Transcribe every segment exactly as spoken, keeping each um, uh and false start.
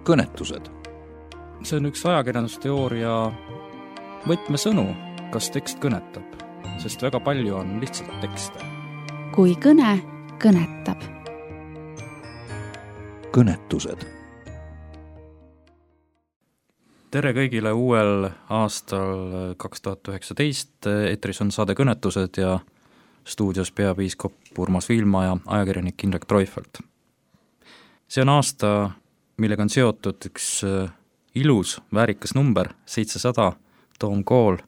kõnetused. See on üks ajakirjandusteooria võtmesõnu, kas tekst kõnetab, sest väga palju on lihtsalt tekste. Kui kõne kõnetab. Kõnetused. Tere kõigile uuel aastal kaks tuhat üheksateist. Eetris on saade Kõnetused ja stuudios peapiiskop Urmas Viilma ja ajakirjanik Indrek Treufelt. See on aasta, millega on seotud üks ilus, väärikas number, seitsesada, Toomkool,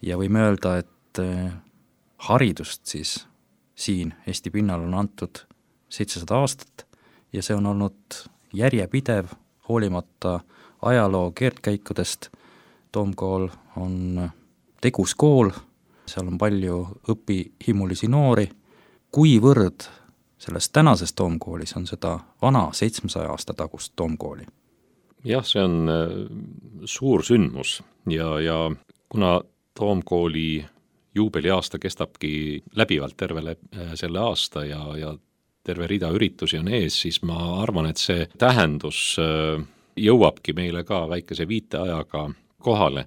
ja võime öelda, et haridust siis siin Eesti pinnal on antud seitsesada aastat ja see on olnud järjepidev, hoolimata ajaloo keerdkäikudest. Toomkool on tegus kool, seal on palju õpihimulisi noori. Kuivõrd selles tänases Toomkoolis on seda vana seitsmesaja aasta tagust Toomkooli? Jah, see on suur sündmus ja, ja kuna Toomkooli juubeliaasta kestabki läbivalt terve selle aasta ja, ja terve rida üritusi on ees, siis ma arvan, et see tähendus jõuabki meile ka väikese viiteajaga kohale.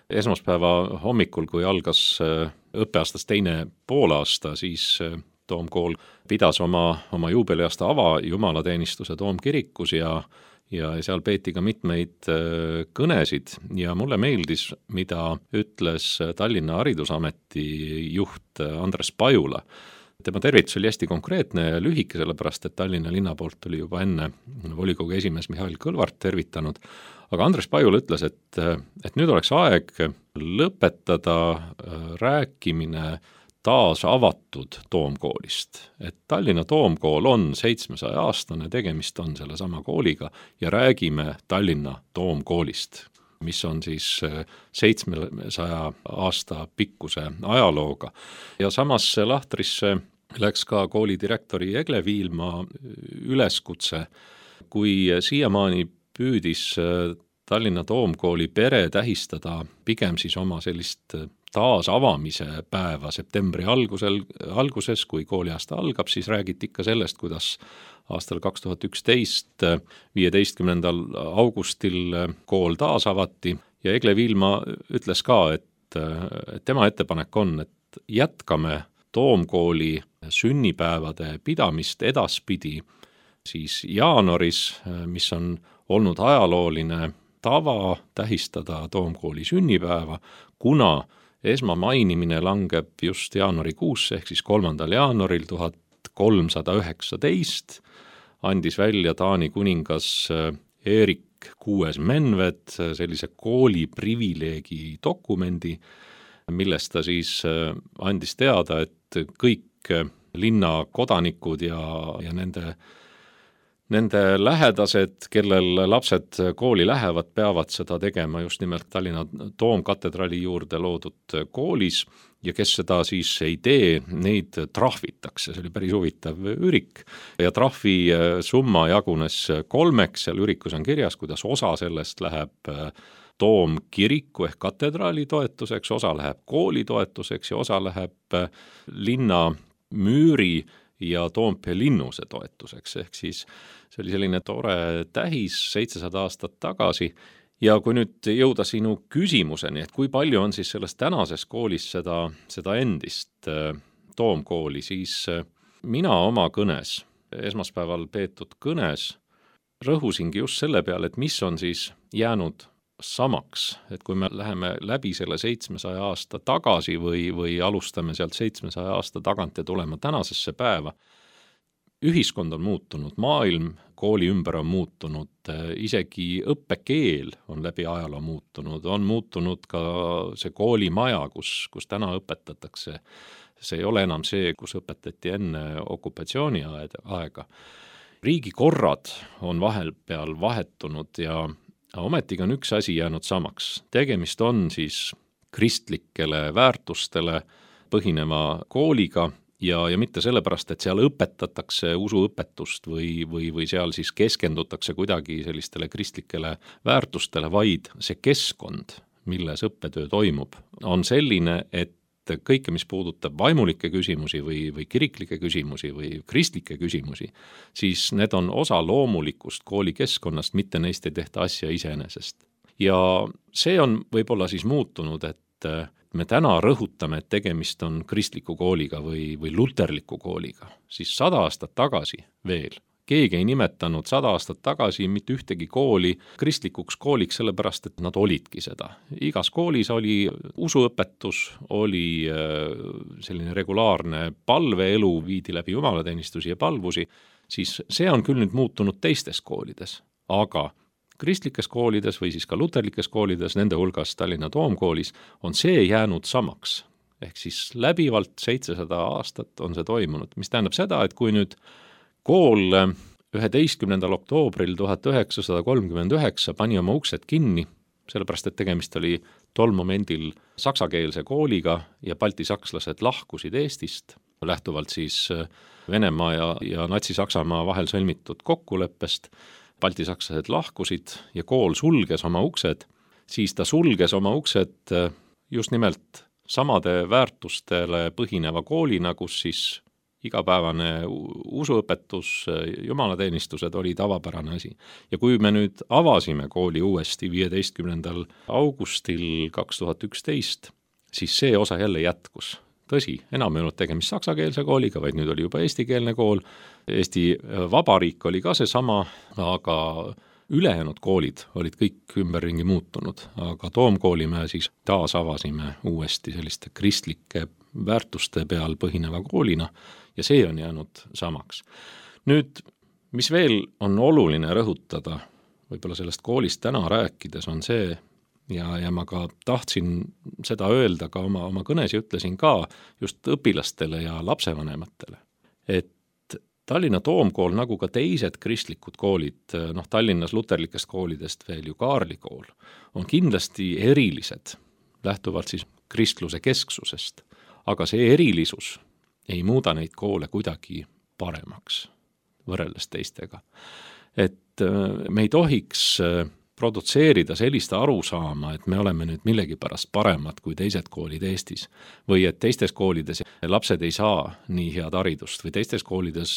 Esmaspäeva hommikul, kui algas õppeaastas teine poolaasta, siis Toomkool pidas oma, oma juubeliaasta ava jumalateenistuse Toomkirikus ja, ja seal peeti ka mitmeid kõnesid ja mulle meeldis, mida ütles Tallinna Haridusameti juht Andres Pajula. Tema tervitus oli hästi konkreetne ja lühike, sellepärast, et Tallinna linna poolt oli juba enne volikogu esimees Mihhail Kõlvart tervitanud. Aga Andres Pajul ütles, et, et nüüd oleks aeg lõpetada rääkimine taas avatud Toomkoolist. Et Tallinna Toomkool on seitsmesaja aastane, tegemist on selle sama kooliga ja räägime Tallinna Toomkoolist, mis on siis seitsmesaja aasta pikkuse ajalooga. Ja samas lahtrisse läks ka kooli direktori Egle Viilma üleskutse, kui siiamaani püüdis Tallinna Toomkooli pere tähistada pigem siis oma sellist taas avamise päeva septembri algusel, alguses, kui kooliaasta algab, siis räägiti ikka sellest, kuidas aastal kaks tuhat üksteist viieteistkümnendal augustil kool taas avati ja Egle Viilma ütles ka, et, et tema ettepanek on, et jätkame Toomkooli sünnipäevade pidamist edaspidi siis jaanuaris, mis on olnud ajalooline tava tähistada Toomkooli sünnipäeva, kuna esmamainimine langeb just jaanuarikuusse ehk siis kolmandal jaanuaril tuhat kolmsada üheksateist andis välja Taani kuningas Erik kuues Menved sellise kooli privileegi dokumendi, millest ta siis andis teada, et kõik linna kodanikud ja, ja nende Nende lähedased, kellel lapsed kooli lähevad, peavad seda tegema just nimelt Tallinna Toomkatedraali juurde loodud koolis ja kes seda siis ei tee, neid trahvitakse. See oli päris huvitav ürik ja trahvi summa jagunes kolmeks, seal ürikus on kirjas, kuidas osa sellest läheb Toomkiriku ehk katedraali toetuseks, osa läheb kooli toetuseks ja osa läheb linna müüri ja Toompea linnuse toetuseks, ehk siis see oli selline tore tähis seitsesada aastat tagasi ja kui nüüd jõuda sinu küsimuseni, et kui palju on siis selles tänases koolis seda, seda endist Toomkooli, siis mina oma kõnes, esmaspäeval peetud kõnes, rõhusingi just selle peale, et mis on siis jäänud samaks, et kui me läheme läbi selle seitsmesaja aasta tagasi või, või alustame sealt seitsmesaja aasta tagant ja tulema tänasesse päeva, ühiskond on muutunud, maailm kooli ümber on muutunud, isegi õppekeel on läbi ajaloo muutunud, on muutunud ka see koolimaja, kus, kus täna õpetatakse. See ei ole enam see, kus õpetati enne okupatsiooni aega. Riigikorrad on vahepeal vahetunud ja ometigi on üks asi jäänud samaks. Tegemist on siis kristlikele väärtustele põhineva kooliga ja, ja mitte sellepärast, et seal õpetatakse usuõpetust või, või, või seal siis keskendutakse kuidagi sellistele kristlikele väärtustele, vaid see keskkond, milles õppetöö toimub, on selline, et kõike, mis puudutab vaimulikke küsimusi või, või kiriklikke küsimusi või kristlikke küsimusi, siis need on osa loomulikust koolikeskkonnast, mitte neist ei tehta asja iseenesest. Ja see on võib-olla siis muutunud, et me täna rõhutame, et tegemist on kristliku kooliga või, või luterliku kooliga, siis sada aastat tagasi veel keegi ei nimetanud sada aastat tagasi mitte ühtegi kooli kristlikuks kooliks, sellepärast et nad olidki seda. Igas koolis oli usuõpetus, oli selline regulaarne palveelu, viidi läbi jumalateenistusi ja palvusi, siis see on küll nüüd muutunud teistes koolides, aga kristlikes koolides või siis ka luterlikes koolides, nende hulgas Tallinna Toomkoolis, on see jäänud samaks. Ehk siis läbivalt seitsesada aastat on see toimunud, mis tähendab seda, et kui nüüd kool üheteistkümnendal oktoobril tuhat üheksasada kolmkümmend üheksa pani oma uksed kinni, sellepärast et tegemist oli tol momendil saksakeelse kooliga ja baltisakslased lahkusid Eestist, lähtuvalt siis Venemaa ja, ja Natsi-Saksamaa vahel sõlmitud kokkuleppest, baltisakslased lahkusid ja kool sulges oma uksed, siis ta sulges oma uksed just nimelt samade väärtustele põhineva koolina, kus siis igapäevane usuõpetus, jumalateenistused oli tavapärane asi. Ja kui me nüüd avasime kooli uuesti viieteistkümnendal augustil kaks tuhat üksteist, siis see osa jälle jätkus. Tõsi, enam ei olnud tegemist saksakeelse kooliga, vaid nüüd oli juba eestikeelne kool. Eesti Vabariik oli ka see sama, aga ülejäänud koolid olid kõik ümberringi muutunud, aga Toomkooli me siis taas avasime uuesti selliste kristlike väärtuste peal põhineva koolina ja see on jäänud samaks. Nüüd, mis veel on oluline rõhutada, võib-olla sellest koolist täna rääkides on see, ja, ja ma ka tahtsin seda öelda ka oma, oma kõnes ja ütlesin ka just õpilastele ja lapsevanematele, et Tallinna Toomkool, nagu ka teised kristlikud koolid, noh Tallinnas luterlikest koolidest veel ju Kaarli kool, on kindlasti erilised, lähtuvalt siis kristluse kesksusest, aga see erilisus ei muuda neid koole kuidagi paremaks võrreldes teistega. Et me ei tohiks produtseerida sellist arusaama, et me oleme nüüd millegipärast paremad kui teised koolid Eestis või et teistes koolides lapsed ei saa nii head haridust või teistes koolides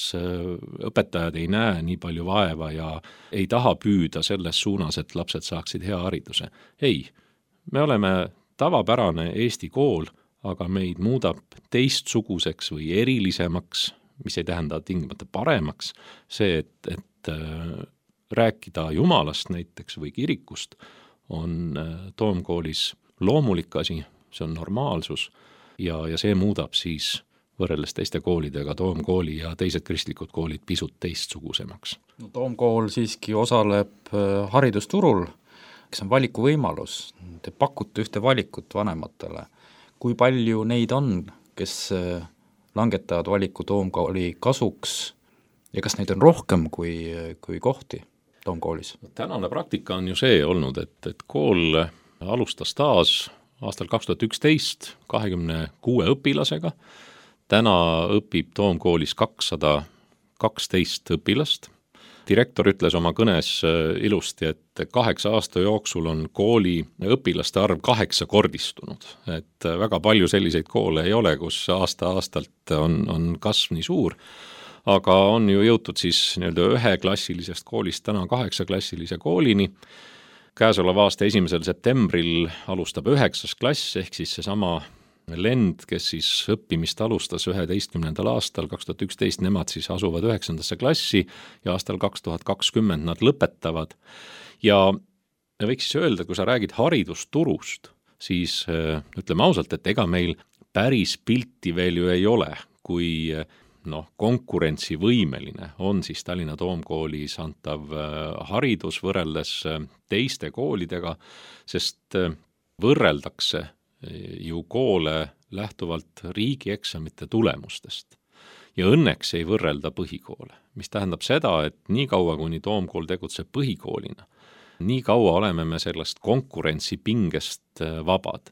õpetajad ei näe nii palju vaeva ja ei taha püüda selles suunas, et lapsed saaksid hea hariduse. Ei, me oleme tavapärane Eesti kool, aga meid muudab teistsuguseks või erilisemaks, mis ei tähenda tingimata paremaks, see, et, et rääkida Jumalast näiteks või kirikust on Toomkoolis loomulik asi, see on normaalsus ja, ja see muudab siis võrreldes teiste koolidega Toomkooli ja teised kristlikud koolid pisut teistsugusemaks. No, Toomkool siiski osaleb haridusturul, kes on valikuvõimalus, te pakute ühte valikut vanematele. Kui palju neid on, kes langetavad valiku Toomkooli kasuks ja kas neid on rohkem kui, kui kohti Toomkoolis? Tänane praktika on ju see olnud, et, et kool alustas taas aastal kaks tuhat üksteist kahekümne kuue õpilasega. Täna õpib Toomkoolis kakssada kaksteist õpilast. Direktor ütles oma kõnes ilusti, et kaheksa aasta jooksul on kooli õpilaste arv kaheksa kordistunud. Et väga palju selliseid koole ei ole, kus aasta-aastalt on, on kasv nii suur, aga on ju jõutud siis nii-öelda üheklassilisest koolist täna kaheksaklassilise koolini. Käesoleva aasta esimesel septembril alustab üheksas klass, ehk siis seesama lend, kes siis õppimist alustas üheteistkümnendal aastal, kaks tuhat üksteist, nemad siis asuvad üheksandasse klassi ja aastal kaks tuhat kakskümmend nad lõpetavad. Ja võiks siis öelda, kui sa räägid haridusturust, siis ütleme ausalt, et ega meil päris pilti veel ju ei ole, kui noh, konkurentsivõimeline on siis Tallinna Toomkoolis antav haridus võrreldes teiste koolidega, sest võrreldakse ju koole lähtuvalt riigieksamite tulemustest. Ja õnneks ei võrrelda põhikoole, mis tähendab seda, et nii kaua, kuni Toomkool tegutseb põhikoolina, nii kaua oleme me sellest konkurentsipingest vabad.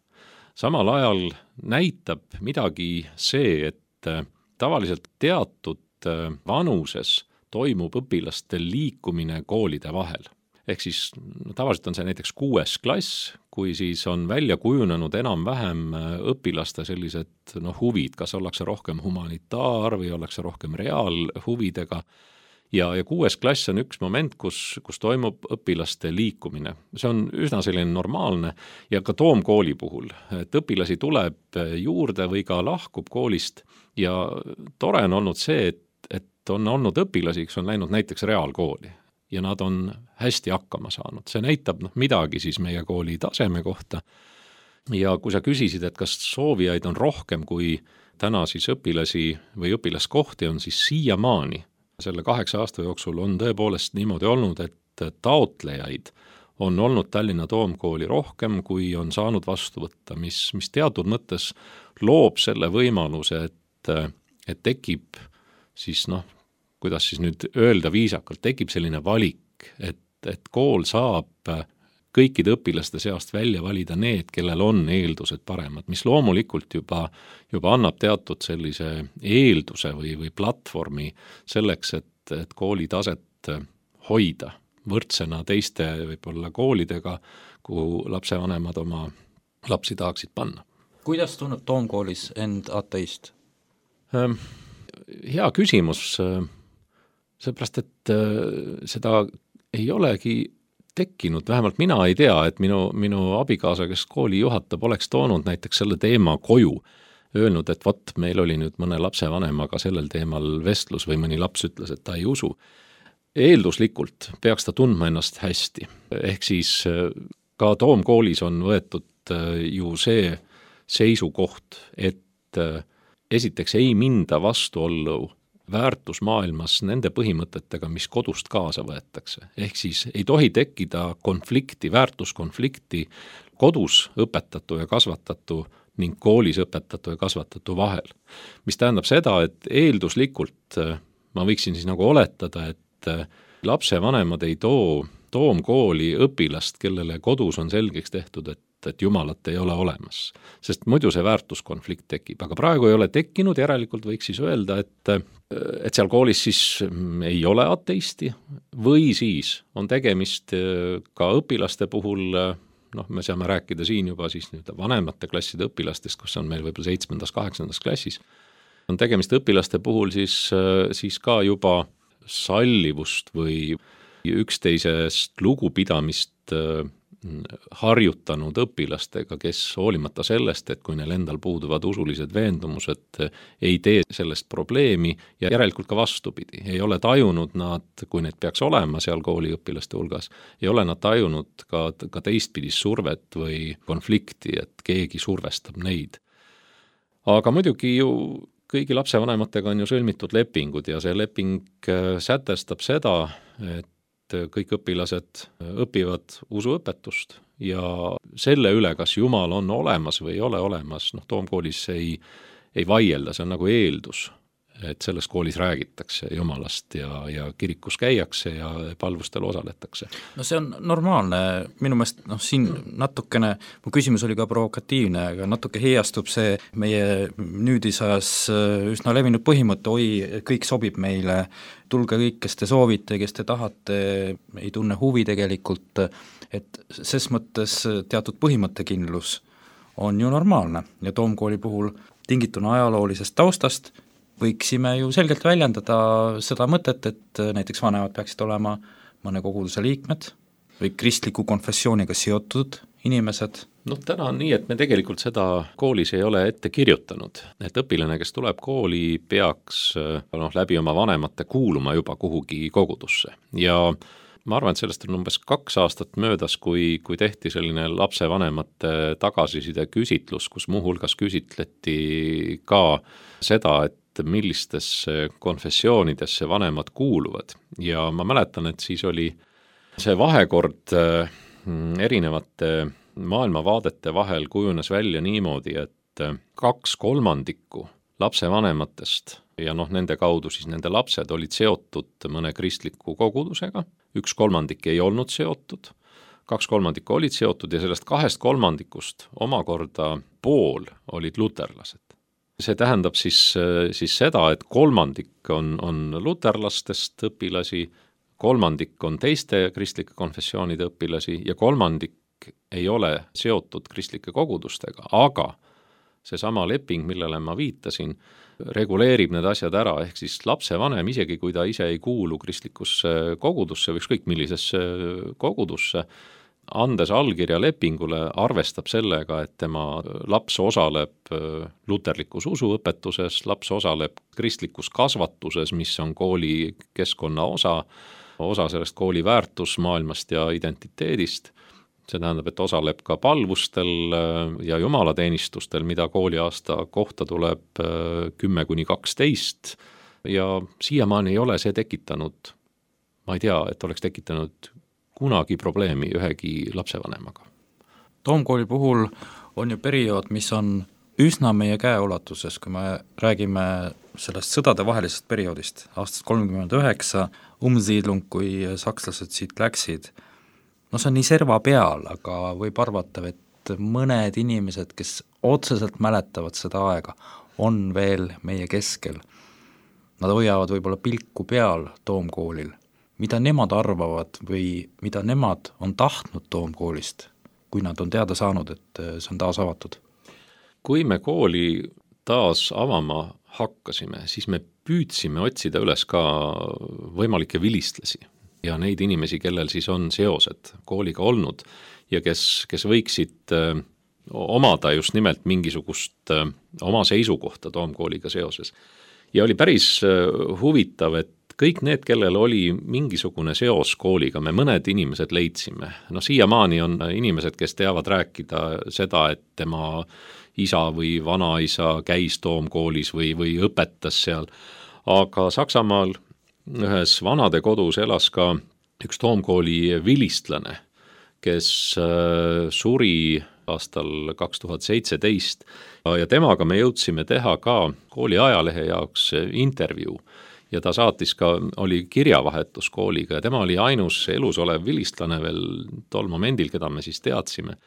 Samal ajal näitab midagi see, et tavaliselt teatud vanuses toimub õpilastel liikumine koolide vahel. Ehk siis no, tavaliselt on see näiteks kuues klass, kui siis on välja kujunenud enam-vähem õpilaste sellised noh, huvid, kas ollakse rohkem humanitaar või ollakse rohkem reaalhuvidega. Ja, ja kuues klass on üks moment, kus, kus toimub õpilaste liikumine. See on üsna selline normaalne ja ka Toomkooli puhul, et õpilasi tuleb juurde või ka lahkub koolist ja tore on olnud see, et, et on olnud õpilasi, kes on läinud näiteks reaalkooli ja nad on hästi hakkama saanud. See näitab noh, midagi siis meie kooli taseme kohta. Ja kui sa küsisid, et kas soovijaid on rohkem kui täna siis õpilasi või õpilaskohti on, siis siiamaani selle kaheksa aasta jooksul on tõepoolest niimoodi olnud, et taotlejaid on olnud Tallinna Toomkooli rohkem, kui on saanud vastu võtta, mis, mis teatud mõttes loob selle võimaluse, et, et tekib siis noh, kuidas siis nüüd öelda viisakalt, tekib selline valik, et, et kool saab kõikide õpilaste seast välja valida need, kellel on eeldused paremad, mis loomulikult juba, juba annab teatud sellise eelduse või, või platvormi selleks, et, et kooli taset hoida võrdsena teiste võib-olla koolidega, kuhu lapsevanemad oma lapsi tahaksid panna. Kuidas tunneb Toomkoolis end ateist? Hea küsimus, seepärast, et seda ei olegi tekkinud, vähemalt mina ei tea, et minu, minu abikaasa, kes kooli juhatab, oleks toonud näiteks selle teema koju, öelnud, et vot, meil oli nüüd mõne lapsevanemaga sellel teemal vestlus või mõni laps ütles, et ta ei usu. Eelduslikult peaks ta tundma ennast hästi. Ehk siis ka Toomkoolis on võetud ju see seisukoht, et esiteks ei minda vastuollu väärtusmaailmas nende põhimõtetega, mis kodust kaasa võetakse. Ehk siis ei tohi tekkida konflikti, väärtuskonflikti kodus õpetatu ja kasvatatu ning koolis õpetatu ja kasvatatu vahel. Mis tähendab seda, et eelduslikult ma võiksin siis nagu oletada, et lapsevanemad ei too Toomkooli õpilast, kellele kodus on selgeks tehtud, et et jumalat ei ole olemas, sest muidu see väärtuskonflikt tekib, aga praegu ei ole tekkinud, järelikult võiks siis öelda, et, et seal koolis siis ei ole ateisti või siis on tegemist ka õpilaste puhul, noh, me saame rääkida siin juba siis nüüd vanemate klasside õpilastest, kus on meil võib-olla seitsmendas, kaheksandas klassis, on tegemist õpilaste puhul siis, siis ka juba sallivust või üksteisest lugupidamist harjutanud õpilastega, kes hoolimata sellest, et kui neil endal puuduvad usulised veendumused, ei tee sellest probleemi ja järelikult ka vastupidi. Ei ole tajunud nad, kui need peaks olema seal kooliõpilaste hulgas, ei ole nad tajunud ka, ka teistpidist survet või konflikti, et keegi survestab neid. Aga muidugi ju kõigi lapsevanematega on ju sõlmitud lepingud ja see leping sätestab seda, et kõik õpilased õpivad usuõpetust ja selle üle, kas Jumal on olemas või ei ole olemas, noh, Toomkoolis ei, ei vaielda, see on nagu eeldus, et selles koolis räägitakse Jumalast ja, ja kirikus käiakse ja palvustel osaletakse. No see on normaalne, minu meelest noh, siin natukene, mu küsimus oli ka provokatiivne, aga natuke heiastub see meie nüüdisajas üsna levinud põhimõte, oi, kõik sobib meile, tulge kõik, kes te soovite, kes te tahate, ei tunne huvi tegelikult, et ses mõttes teatud põhimõttekindlus on ju normaalne ja Toomkooli puhul tingituna ajaloolisest taustast võiksime ju selgelt väljendada seda mõtet, et näiteks vanemad peaksid olema mõne koguduse liikmed või kristliku konfessiooniga seotud inimesed. Noh, täna on nii, et me tegelikult seda koolis ei ole ette kirjutanud, et õpilane, kes tuleb kooli, peaks noh, läbi oma vanemate kuuluma juba kuhugi kogudusse ja ma arvan, et sellest on umbes kaks aastat möödas, kui, kui tehti selline lapsevanemate tagasiside küsitlus, kus muuhulgas küsitleti ka seda, et millistesse konfessioonidesse vanemad kuuluvad ja ma mäletan, et siis oli see vahekord erinevate maailmavaadete vahel kujunes välja niimoodi, et kaks kolmandikku lapsevanematest ja noh, nende kaudu siis nende lapsed olid seotud mõne kristliku kogudusega, üks kolmandik ei olnud seotud, kaks kolmandikku olid seotud ja sellest kahest kolmandikust omakorda pool olid luterlased. See tähendab siis, siis seda, et kolmandik on, on luterlastest õpilasi, kolmandik on teiste kristlike konfessioonide õpilasi ja kolmandik ei ole seotud kristlike kogudustega, aga seesama leping, millele ma viitasin, reguleerib need asjad ära, ehk siis lapsevanem, isegi kui ta ise ei kuulu kristlikusse kogudusse või ükskõik millisesse kogudusse, andes allkirja lepingule, arvestab sellega, et tema laps osaleb luterlikus usuõpetuses, laps osaleb kristlikus kasvatuses, mis on kooli keskkonna osa, osa sellest kooli väärtusmaailmast ja identiteedist. See tähendab, et osaleb ka palvustel ja jumalateenistustel, mida kooliaasta kohta tuleb kümme kuni kaksteist ja siiamaani ei ole see tekitanud, ma ei tea, et oleks tekitanud kunagi probleemi ühegi lapsevanemaga. Toomkooli puhul on ju periood, mis on üsna meie käeulatuses, kui me räägime sellest sõdade vahelisest perioodist, aastast kolmkümmend üheksa, umsiidlung, kui sakslased siit läksid. No see on nii serva peal, aga võib arvata, et mõned inimesed, kes otseselt mäletavad seda aega, on veel meie keskel. Nad hoiavad võib-olla pilku peal Toomkoolil. Mida nemad arvavad või mida nemad on tahtnud Toomkoolist, kui nad on teada saanud, et see on taas avatud? Kui me kooli taas avama hakkasime, siis me püüdsime otsida üles ka võimalikke vilistlasi ja neid inimesi, kellel siis on seosed kooliga olnud ja kes, kes võiksid äh, omada just nimelt mingisugust äh, oma seisukohta Toomkooliga seoses. Ja oli päris äh, huvitav, et kõik need, kellel oli mingisugune seos kooliga, me mõned inimesed leidsime. No siiamaani on inimesed, kes teavad rääkida seda, et tema isa või vanaisa käis Toomkoolis või, või õpetas seal. Aga Saksamaal ühes vanade kodus elas ka üks Toomkooli vilistlane, kes suri aastal kaks tuhat seitseteist ja temaga me jõudsime teha ka kooli ajalehe jaoks intervjuu. Ja ta saatis ka, oli kirjavahetus kooliga ja tema oli ainus elus olev vilistlane veel tol momendil, keda me siis teadsime.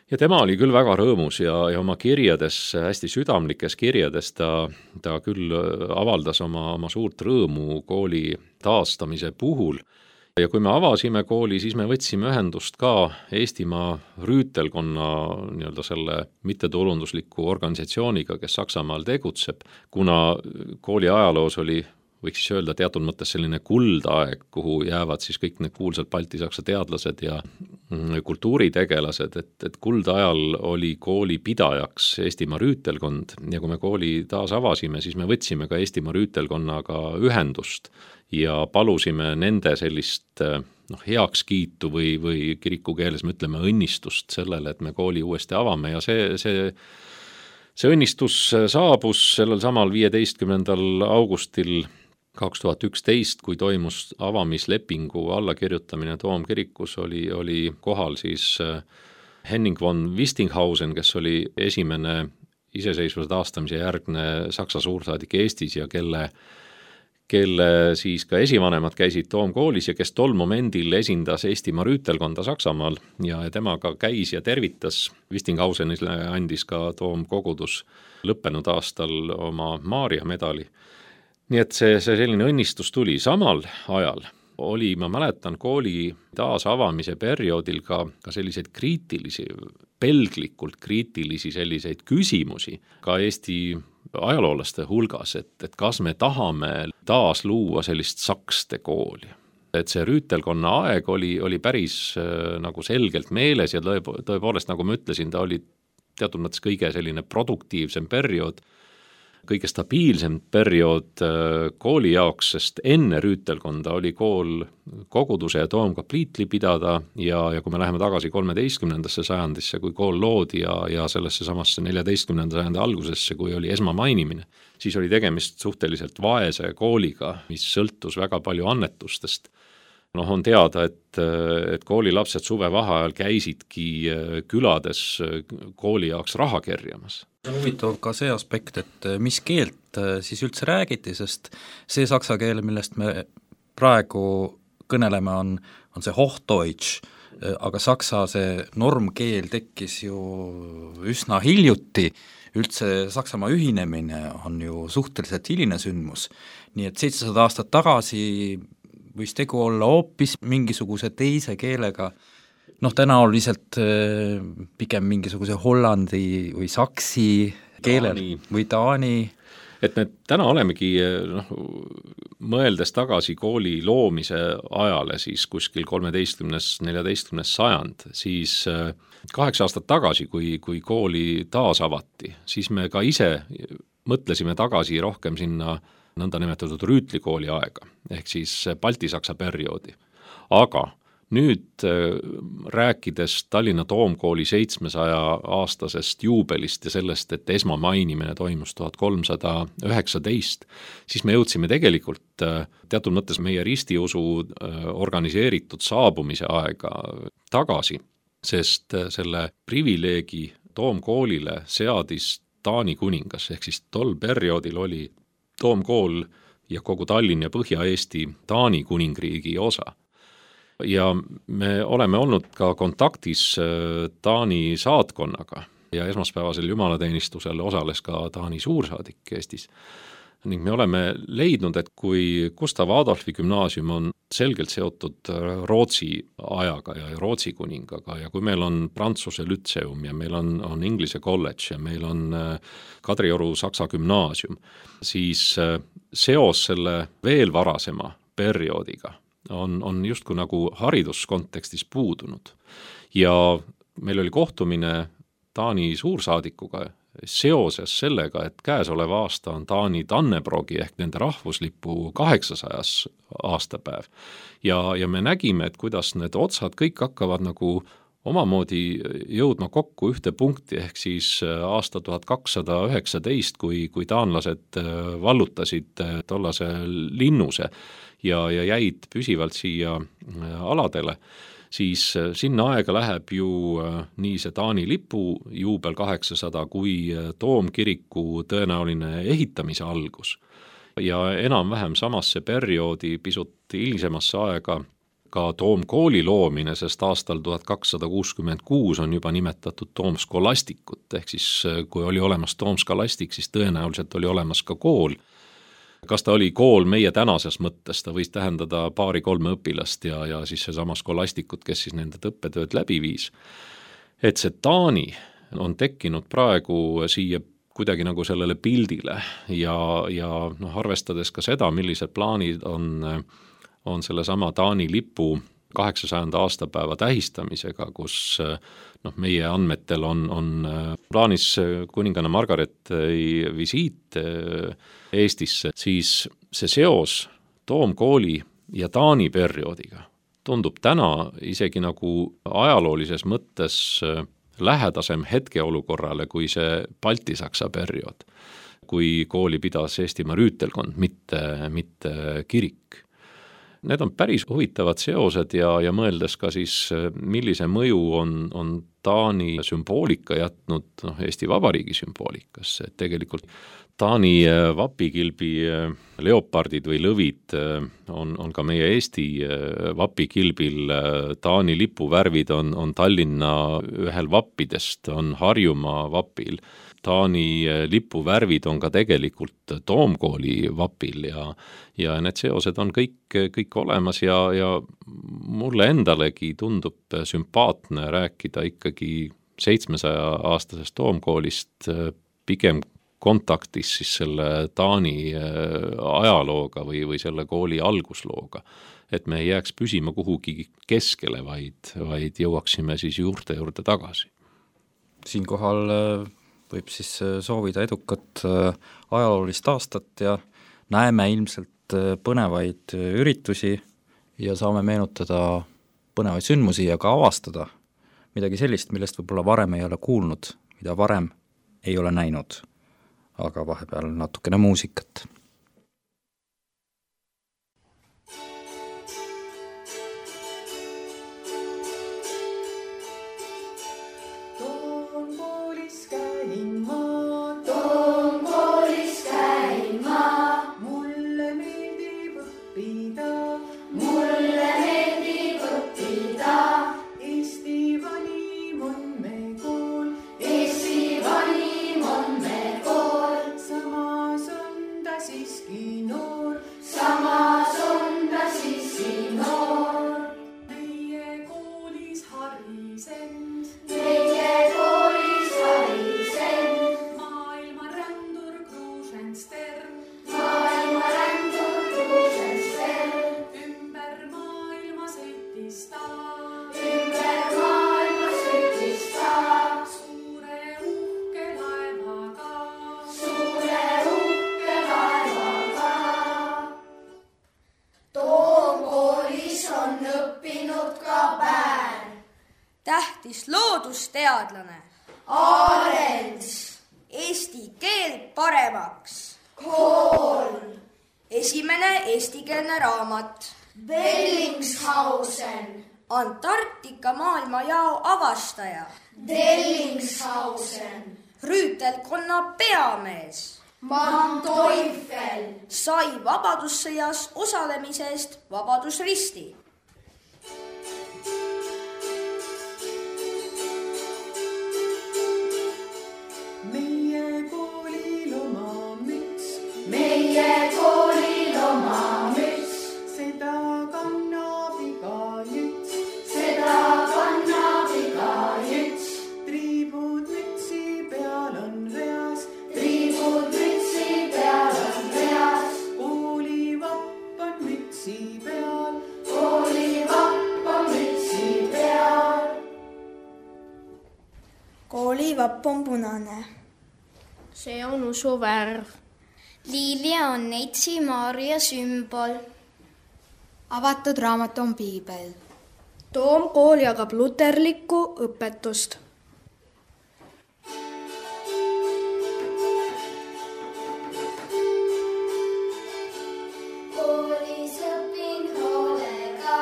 Ja tema oli küll väga rõõmus ja, ja oma kirjades, hästi südamlikes kirjades ta, ta küll avaldas oma, oma suurt rõõmu kooli taastamise puhul. Ja kui me avasime kooli, siis me võtsime ühendust ka Eestimaa rüütelkonna nii-öelda selle mittetulundusliku organisatsiooniga, kes Saksamaal tegutseb, kuna kooli ajaloos oli, võiks siis öelda teatud mõttes selline kuldaeg, kuhu jäävad siis kõik need kuulsad baltisaksa teadlased ja kultuuritegelased, et, et kuldajal oli kooli pidajaks Eestimaa rüütelkond ja kui me kooli taas avasime, siis me võtsime ka Eestimaa rüütelkonnaga ühendust ja palusime nende sellist noh, heakskiitu või, või kiriku keeles me ütleme õnnistust sellele, et me kooli uuesti avame ja see, see, see õnnistus saabus sellel samal viieteistkümnendal augustil kaks tuhat üksteist, kui toimus avamislepingu allakirjutamine Toomkirikus, oli, oli kohal siis Henning von Wistinghausen, kes oli esimene iseseisvuse taastamise järgne Saksa suursaadik Eestis ja kelle kelle siis ka esivanemad käisid Toomkoolis ja kes tol momendil esindas Eestimaa rüütelkonda Saksamaal ja temaga käis ja tervitas. Wistinghausenile andis ka Toomkogudus lõppenud aastal oma Maaria medali. Nii et see, see selline õnnistus tuli. Samal ajal oli, ma mäletan, kooli taasavamise perioodil ka, ka selliseid kriitilisi, pelglikult kriitilisi selliseid küsimusi ka Eesti ajaloolaste hulgas, et, et kas me tahame taas luua sellist sakste kooli. Et see rüütelkonna aeg oli, oli päris äh, nagu selgelt meeles ja tõepoolest, nagu ma ütlesin, ta oli teatud mõttes kõige selline produktiivsem periood, kõige stabiilsem periood äh, kooli jaoks, sest enne rüütelkonda oli kool koguduse ja toomkapliitli pidada ja, ja kui me läheme tagasi kolmeteistkümnendasse sajandisse, kui kool loodi ja, ja sellesse samasse neljateistkümnenda sajandi algusesse, kui oli esmamainimine, siis oli tegemist suhteliselt vaese kooliga, mis sõltus väga palju annetustest. Noh, on teada, et, et koolilapsed suvevaheajal käisidki külades kooli jaoks raha kerjamas. Huvitav ka see aspekt, et mis keelt siis üldse räägiti, sest see saksa keel, millest me praegu kõneleme, on, on see Hochdeutsch, aga saksa see normkeel tekkis ju üsna hiljuti, üldse Saksamaa ühinemine on ju suhteliselt hiline sündmus, nii et seitsesada aastat tagasi võis tegu olla hoopis mingisuguse teise keelega, noh, tõenäoliselt pigem mingisuguse hollandi või saksi keelel Taani. Või Taani. Et me täna olemegi, noh, mõeldes tagasi kooli loomise ajale, siis kuskil kolmeteistkümnes, neljateistkümnes sajand, siis kaheksa aastat tagasi, kui, kui kooli taas avati, siis me ka ise mõtlesime tagasi rohkem sinna nõnda nimetatud rüütlikooli aega, ehk siis Balti-Saksa perioodi. Aga nüüd rääkides Tallinna Toomkooli seitsmesaja aastasest juubelist ja sellest, et esmamainimine toimus tuhat kolmsada üheksateist, siis me jõudsime tegelikult teatud mõttes meie ristiusu organiseeritud saabumise aega tagasi, sest selle privileegi Toomkoolile seadis Taani kuningas, ehk siis tol perioodil oli Toomkool ja kogu Tallinn ja Põhja-Eesti Taani kuningriigi osa. Ja me oleme olnud ka kontaktis Taani saatkonnaga ja esmaspäevasel jumalateenistusel osales ka Taani suursaadik Eestis. Ning me oleme leidnud, et kui Gustav Adolfi gümnaasium on selgelt seotud Rootsi ajaga ja Rootsi kuningaga ja kui meil on Prantsuse lütseum ja meil on, on Inglise kolledž ja meil on Kadrioru Saksa gümnaasium, siis seos selle veel varasema perioodiga on, on justkui nagu hariduskontekstis puudunud. Ja meil oli kohtumine Taani suursaadikuga seoses sellega, et käesolev aasta on Taani Tannebrogi ehk nende rahvuslipu kaheksasajas aastapäev. Ja, ja me nägime, et kuidas need otsad kõik hakkavad nagu omamoodi jõudma kokku ühte punkti, ehk siis aasta tuhat kakssada üheksateist, kui, kui taanlased vallutasid tollase linnuse ja, ja jäid püsivalt siia aladele, siis sinna aega läheb ju nii see Taani lipu juubel kaheksasada kui Toomkiriku tõenäoline ehitamise algus. Ja enam-vähem samasse perioodi pisut hilisemasse aega ka Toomkooli loomine, sest aastal tuhat kakssada kuuskümmend kuus on juba nimetatud Toomskolastikut, ehk siis kui oli olemas Toomskolastik, siis tõenäoliselt oli olemas ka kool. Kas ta oli kool meie tänases mõttes, ta võis tähendada paari-kolme õpilast ja, ja siis see sama skolastikut, kes siis nende õppetööd läbi viis. Et see Taani on tekkinud praegu siia kuidagi nagu sellele pildile ja, ja noh, arvestades ka seda, millised plaanid on, on selle sama Taani lipu kaheksasajanda aastapäeva tähistamisega, kus noh, meie andmetel on, on plaanis kuninganna Margaret'i visiit Eestisse, siis see seos Toomkooli ja Taani perioodiga tundub täna isegi nagu ajaloolises mõttes lähedasem hetkeolukorrale kui see Balti-Saksa periood, kui kooli pidas Eestimaa rüütelkond, mitte, mitte kirik. Need on päris huvitavad seosed ja, ja mõeldes ka siis, millise mõju on, on Taani sümboolika jätnud noh, Eesti Vabariigi sümboolikasse, et tegelikult Taani vapikilbi leopardid või lõvid on, on ka meie Eesti vapikilbil, Taani lipuvärvid on, on Tallinna ühel vappidest, on Harjumaa vapil, Taani lipuvärvid on ka tegelikult Toomkooli vapil ja, ja need seosed on kõik, kõik olemas ja, ja mulle endalegi tundub sümpaatne rääkida ikkagi seitsmesaja aastasest Toomkoolist pigem kontaktis siis selle Taani ajalooga või, või selle kooli alguslooga, et me ei jääks püsima kuhugi keskele, vaid, vaid jõuaksime siis juurte juurde tagasi. Siinkohal võib siis soovida edukat ajaloolist aastat ja näeme ilmselt põnevaid üritusi ja saame meenutada põnevaid sündmusi ja ka avastada midagi sellist, millest võib-olla varem ei ole kuulnud, mida varem ei ole näinud. Aga vahepeal natukene muusikat. Toomkoolis käin ma, Toomkoolis käin ma, mulle meeldib õppida, mulle meeldib õppida. Eesti vanim on me kool, Eesti vanim on me kool. Samas on ta siin kotkapäär. Tähtis loodusteadlane. Arends. Eesti keel paremaks. Kool. Esimene eestikeelne raamat. Bellingshausen. Antarktika maailmajao avastaja. Dellingshausen. Rüütelkonna peamees. Manteuffel. Sai vabadussõjas osalemisest Vabadusristi. meie koolil oma müts, meie koolil oma müts, seda kannab iga jüts, seda kannab iga jüts, triibud mütsi peal on reas, triibud mütsi peal on reas, koolivapp on mütsi peal, koolivapp on mütsi peal, Koolivapp on punane. See on usuvärv. Liili on Neitsi Maarja sümbol. Avatud raamat on piibel. Toomkool jagab luterlikku õpetust. koolis õpin hoolega,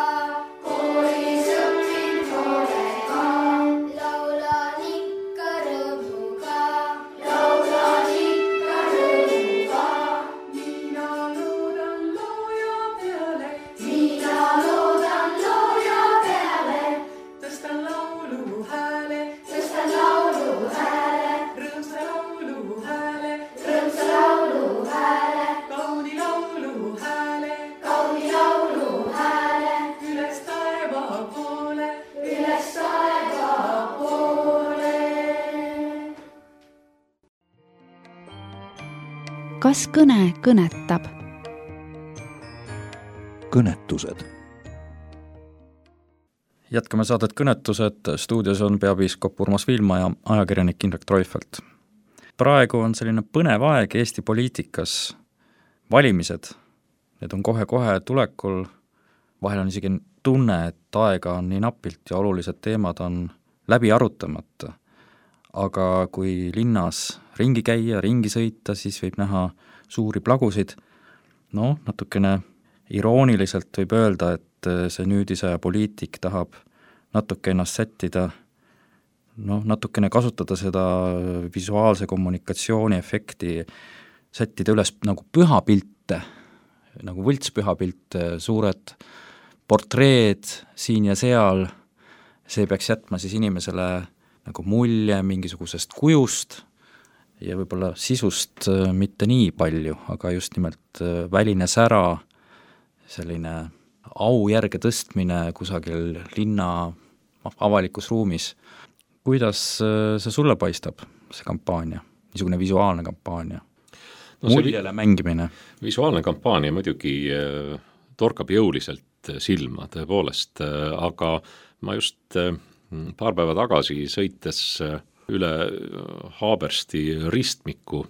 koolis õpin hoolega, laulan ikka rõõmuga, laulan ikka rõõmuga, mina loodan looja peale, mina loodan looja peale, tõstan laulu hääle, tõstan laulu hääle, rõõmsa laulu hääle, rõõmsa laulu hääle, kauni laulu hääle, kauni laulu hääle, üles taeva poole, üles taeva poole. Kas kõne kõnetab? Kõnetused. Jätkame saadet Kõnetused, stuudios on peapiiskop Urmas Viilma ja ajakirjanik Indrek Treufelt. Praegu on selline põnev aeg Eesti poliitikas. Valimised, need on kohe-kohe tulekul, vahel on isegi tunne, et aega on nii napilt ja olulised teemad on läbi arutamata. Aga kui linnas ringi käia, ringi sõita, siis võib näha suuri plagusid. No, natukene irooniliselt võib öelda, et see nüüdisaja poliitik tahab natuke ennast sättida, no, natukene kasutada seda visuaalse kommunikatsiooni efekti, sättida üles nagu pühapilte, nagu võltspühapilte, suured portreed siin ja seal, see peaks jätma siis inimesele nagu mulje mingisugusest kujust ja võib-olla sisust mitte nii palju, aga just nimelt väline sära, selline au järge tõstmine kusagil linna avalikus ruumis. Kuidas see sulle paistab, see kampaania, niisugune visuaalne kampaania? No, muljele mängimine. Visuaalne kampaania muidugi torkab jõuliselt silma tõepoolest, aga ma just paar päeva tagasi sõites üle Haabersti ristmiku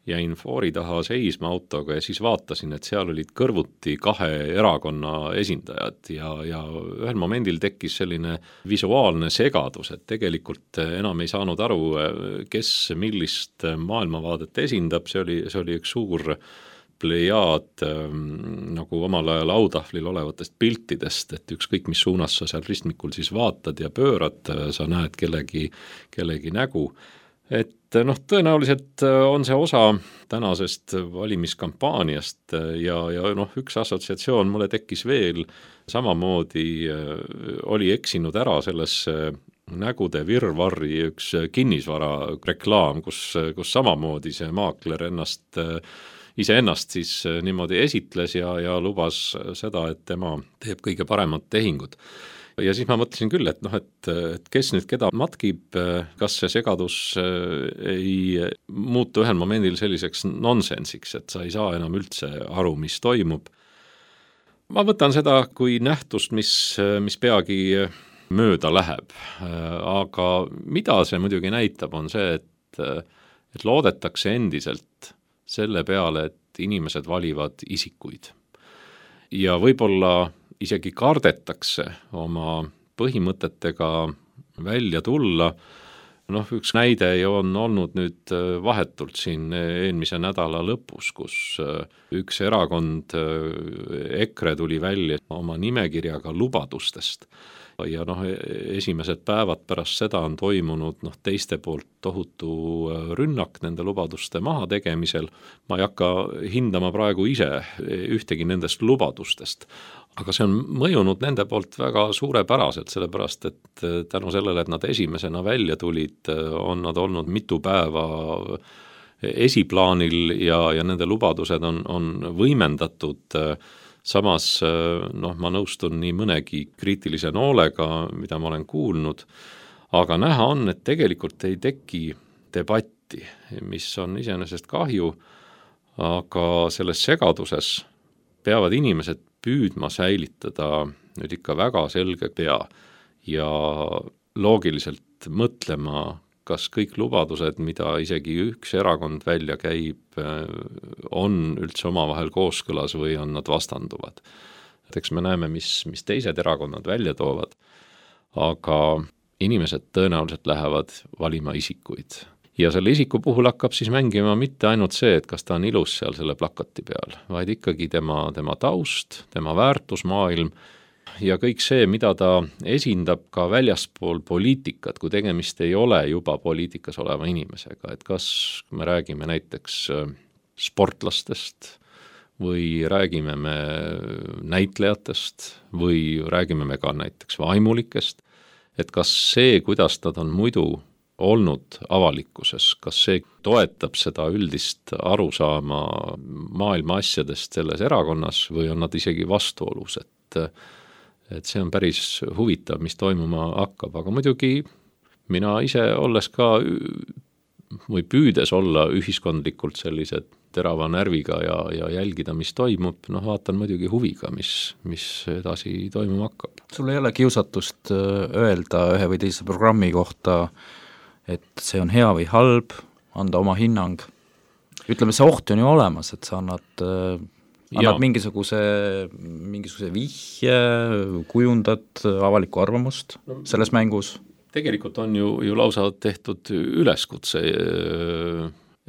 jäin foori taha seisma autoga ja siis vaatasin, et seal olid kõrvuti kahe erakonna esindajad ja, ja ühel momendil tekkis selline visuaalne segadus, et tegelikult enam ei saanud aru, kes millist maailmavaadet esindab, see oli, see oli üks suur plejaad nagu omal ajal autahvlil olevatest piltidest, et ükskõik mis suunas sa seal ristmikul siis vaatad ja pöörad, sa näed kellegi, kellegi nägu. Et noh, tõenäoliselt on see osa tänasest valimiskampaaniast ja, ja noh, üks assotsiatsioon mulle tekkis veel, samamoodi oli eksinud ära sellesse nägude virvarri üks kinnisvara reklaam, kus, kus samamoodi see maakler ennast iseennast siis niimoodi esitles ja, ja lubas seda, et tema teeb kõige paremad tehingud. Ja siis ma mõtlesin küll, et noh, et, et kes nüüd keda matkib, kas see segadus ei muutu ühel momendil selliseks nonsensiks, et sa ei saa enam üldse aru, mis toimub. Ma võtan seda kui nähtust, mis, mis peagi mööda läheb, aga mida see muidugi näitab, on see, et, et loodetakse endiselt selle peale, et inimesed valivad isikuid. Ja võib-olla isegi kardetakse oma põhimõtetega välja tulla. Noh, üks näide on olnud nüüd vahetult siin eelmise nädala lõpus, kus üks erakond EKRE tuli välja oma nimekirjaga lubadustest. Ja noh, esimesed päevad pärast seda on toimunud noh, teiste poolt tohutu rünnak nende lubaduste maha tegemisel. Ma ei hakka hindama praegu ise ühtegi nendest lubadustest. Aga see on mõjunud nende poolt väga suurepäraselt, sellepärast et tänu sellele, et nad esimesena välja tulid, on nad olnud mitu päeva esiplaanil ja, ja nende lubadused on, on võimendatud. Samas noh, ma nõustun nii mõnegi kriitilise noolega, mida ma olen kuulnud, aga näha on, et tegelikult ei teki debatti, mis on iseenesest kahju, aga selles segaduses peavad inimesed püüdma säilitada nüüd ikka väga selge pea ja loogiliselt mõtlema, kas kõik lubadused, mida isegi üks erakond välja käib, on üldse omavahel kooskõlas või on nad vastanduvad. Eks me näeme, mis, mis teised erakonnad välja toovad, aga inimesed tõenäoliselt lähevad valima isikuid. Ja selle isiku puhul hakkab siis mängima mitte ainult see, et kas ta on ilus seal selle plakati peal, vaid ikkagi tema, tema taust, tema väärtusmaailm ja kõik see, mida ta esindab ka väljaspool poliitikat, kui tegemist ei ole juba poliitikas oleva inimesega. Et kas me räägime näiteks sportlastest või räägime me näitlejatest või räägime me ka näiteks vaimulikest, et kas see, kuidas nad on muidu olnud avalikkuses, kas see toetab seda üldist arusaama maailma asjadest selles erakonnas või on nad isegi vastuolus, et, et see on päris huvitav, mis toimuma hakkab, aga muidugi mina ise olles ka või püüdes olla ühiskondlikult sellise terava närviga ja, ja jälgida, mis toimub, noh vaatan muidugi huviga, mis, mis edasi toimuma hakkab. Sul ei ole kiusatust öelda ühe või teise programmi kohta, et see on hea või halb, anda oma hinnang. Ütleme, see oht on ju olemas, et sa annad, annad mingisuguse, mingisuguse vihje, kujundad avalikku arvamust no, selles mängus. Tegelikult on ju, ju lausa tehtud üleskutse,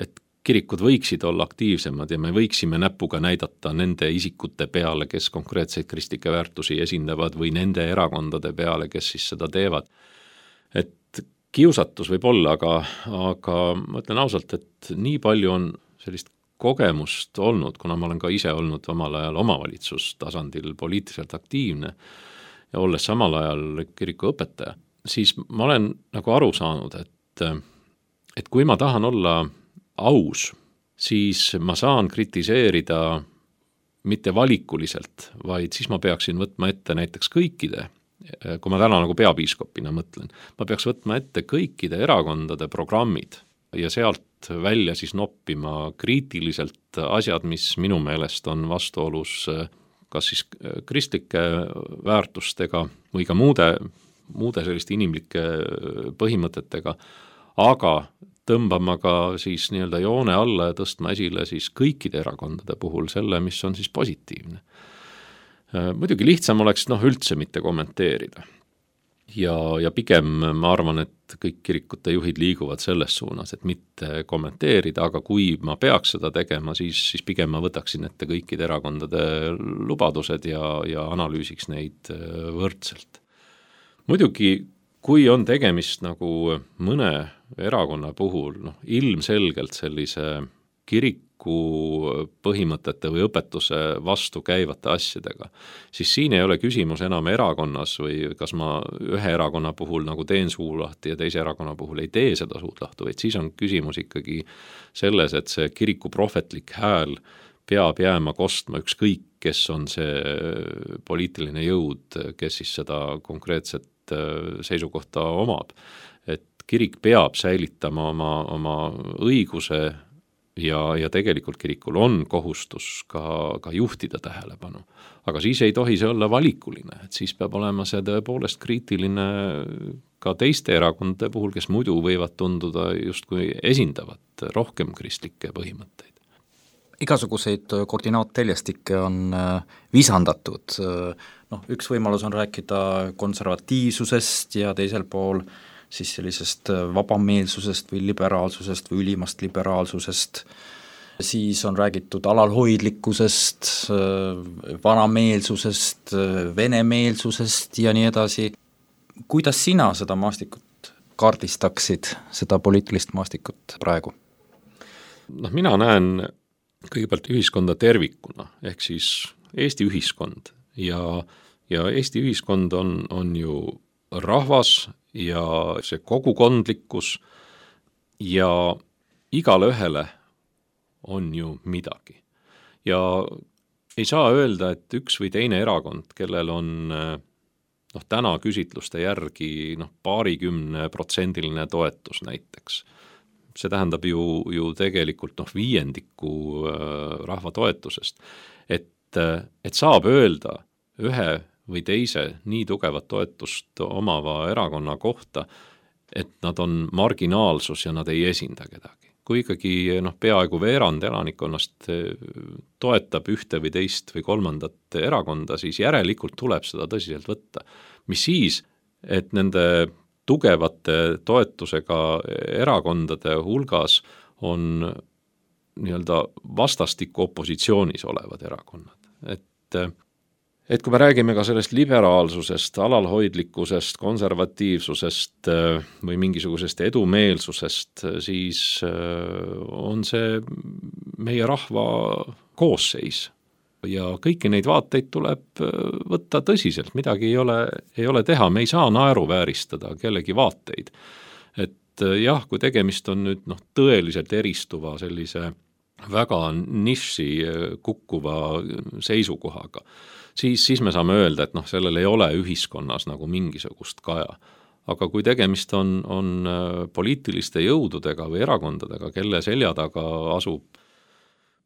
et kirikud võiksid olla aktiivsemad ja me võiksime näpuga näidata nende isikute peale, kes konkreetseid kristlikke väärtusi esindavad või nende erakondade peale, kes siis seda teevad. Et kiusatus võib olla, aga, aga ma ütlen ausalt, et nii palju on sellist kogemust olnud, kuna ma olen ka ise olnud omal ajal omavalitsustasandil poliitiliselt aktiivne ja olles samal ajal kiriku õpetaja, siis ma olen nagu aru saanud, et, et kui ma tahan olla aus, siis ma saan kritiseerida mitte valikuliselt, vaid siis ma peaksin võtma ette näiteks kõikide, kui ma täna nagu peapiiskopina mõtlen, ma peaks võtma ette kõikide erakondade programmid ja sealt välja siis noppima kriitiliselt asjad, mis minu meelest on vastuolus kas siis kristlike väärtustega või ka muude, muude selliste inimlike põhimõtetega, aga tõmbama ka siis nii-öelda joone alla ja tõstma esile siis kõikide erakondade puhul selle, mis on siis positiivne. Muidugi lihtsam oleks noh, üldse mitte kommenteerida. Ja, ja pigem ma arvan, et kõik kirikute juhid liiguvad selles suunas, et mitte kommenteerida, aga kui ma peaks seda tegema, siis, siis pigem ma võtaksin ette kõikide erakondade lubadused ja, ja analüüsiks neid võrdselt. Muidugi, kui on tegemist nagu mõne erakonna puhul, noh, ilmselgelt sellise kiriku põhimõtete või õpetuse vastu käivate asjadega, siis siin ei ole küsimus enam erakonnas või kas ma ühe erakonna puhul nagu teen suu lahti ja teise erakonna puhul ei tee seda suud lahtu, vaid siis on küsimus ikkagi selles, et see kiriku prohvetlik hääl peab jääma kostma ükskõik, kes on see poliitiline jõud, kes siis seda konkreetset seisukohta omab. Et kirik peab säilitama oma, oma õiguse ja, ja tegelikult kirikul on kohustus ka, ka juhtida tähelepanu. Aga siis ei tohi see olla valikuline, et siis peab olema see tõepoolest kriitiline ka teiste erakondade puhul, kes muidu võivad tunduda justkui esindavat rohkem kristlikke põhimõtteid. Igasuguseid koordinaatteljestikke on visandatud. noh, üks võimalus on rääkida konservatiivsusest ja teisel pool siis sellisest vabameelsusest või liberaalsusest või ülimast liberaalsusest, siis on räägitud alalhoidlikkusest, vanameelsusest, venemeelsusest ja nii edasi. Kuidas sina seda maastikut kaardistaksid, seda poliitilist maastikut praegu? Noh, mina näen kõigepealt ühiskonda tervikuna, ehk siis Eesti ühiskond ja, ja Eesti ühiskond on, on ju rahvas ja see kogukondlikkus ja igale ühele on ju midagi. Ja ei saa öelda, et üks või teine erakond, kellel on noh, täna küsitluste järgi noh, paarikümne protsendiline toetus näiteks. See tähendab ju, ju tegelikult noh, viiendiku rahva toetusest. Et, et saab öelda ühe või teise nii tugevat toetust omava erakonna kohta, et nad on marginaalsus ja nad ei esinda kedagi. Kui ikkagi noh, peaaegu veerand elanikkonnast toetab ühte või teist või kolmandat erakonda, siis järelikult tuleb seda tõsiselt võtta. Mis siis, et nende tugevate toetusega erakondade hulgas on nii-öelda vastastikku opositsioonis olevad erakonnad. Et, et kui me räägime ka sellest liberaalsusest, alalhoidlikkusest, konservatiivsusest või mingisugusest edumeelsusest, siis on see meie rahva koosseis. Ja kõiki neid vaateid tuleb võtta tõsiselt, midagi ei ole, ei ole teha, me ei saa naeruvääristada kellegi vaateid. Et jah, kui tegemist on nüüd noh, tõeliselt eristuva sellise väga niši kukkuva seisukohaga, siis, siis me saame öelda, et noh, sellel ei ole ühiskonnas nagu mingisugust kaja. Aga kui tegemist on, on poliitiliste jõududega või erakondadega, kelle selja taga asub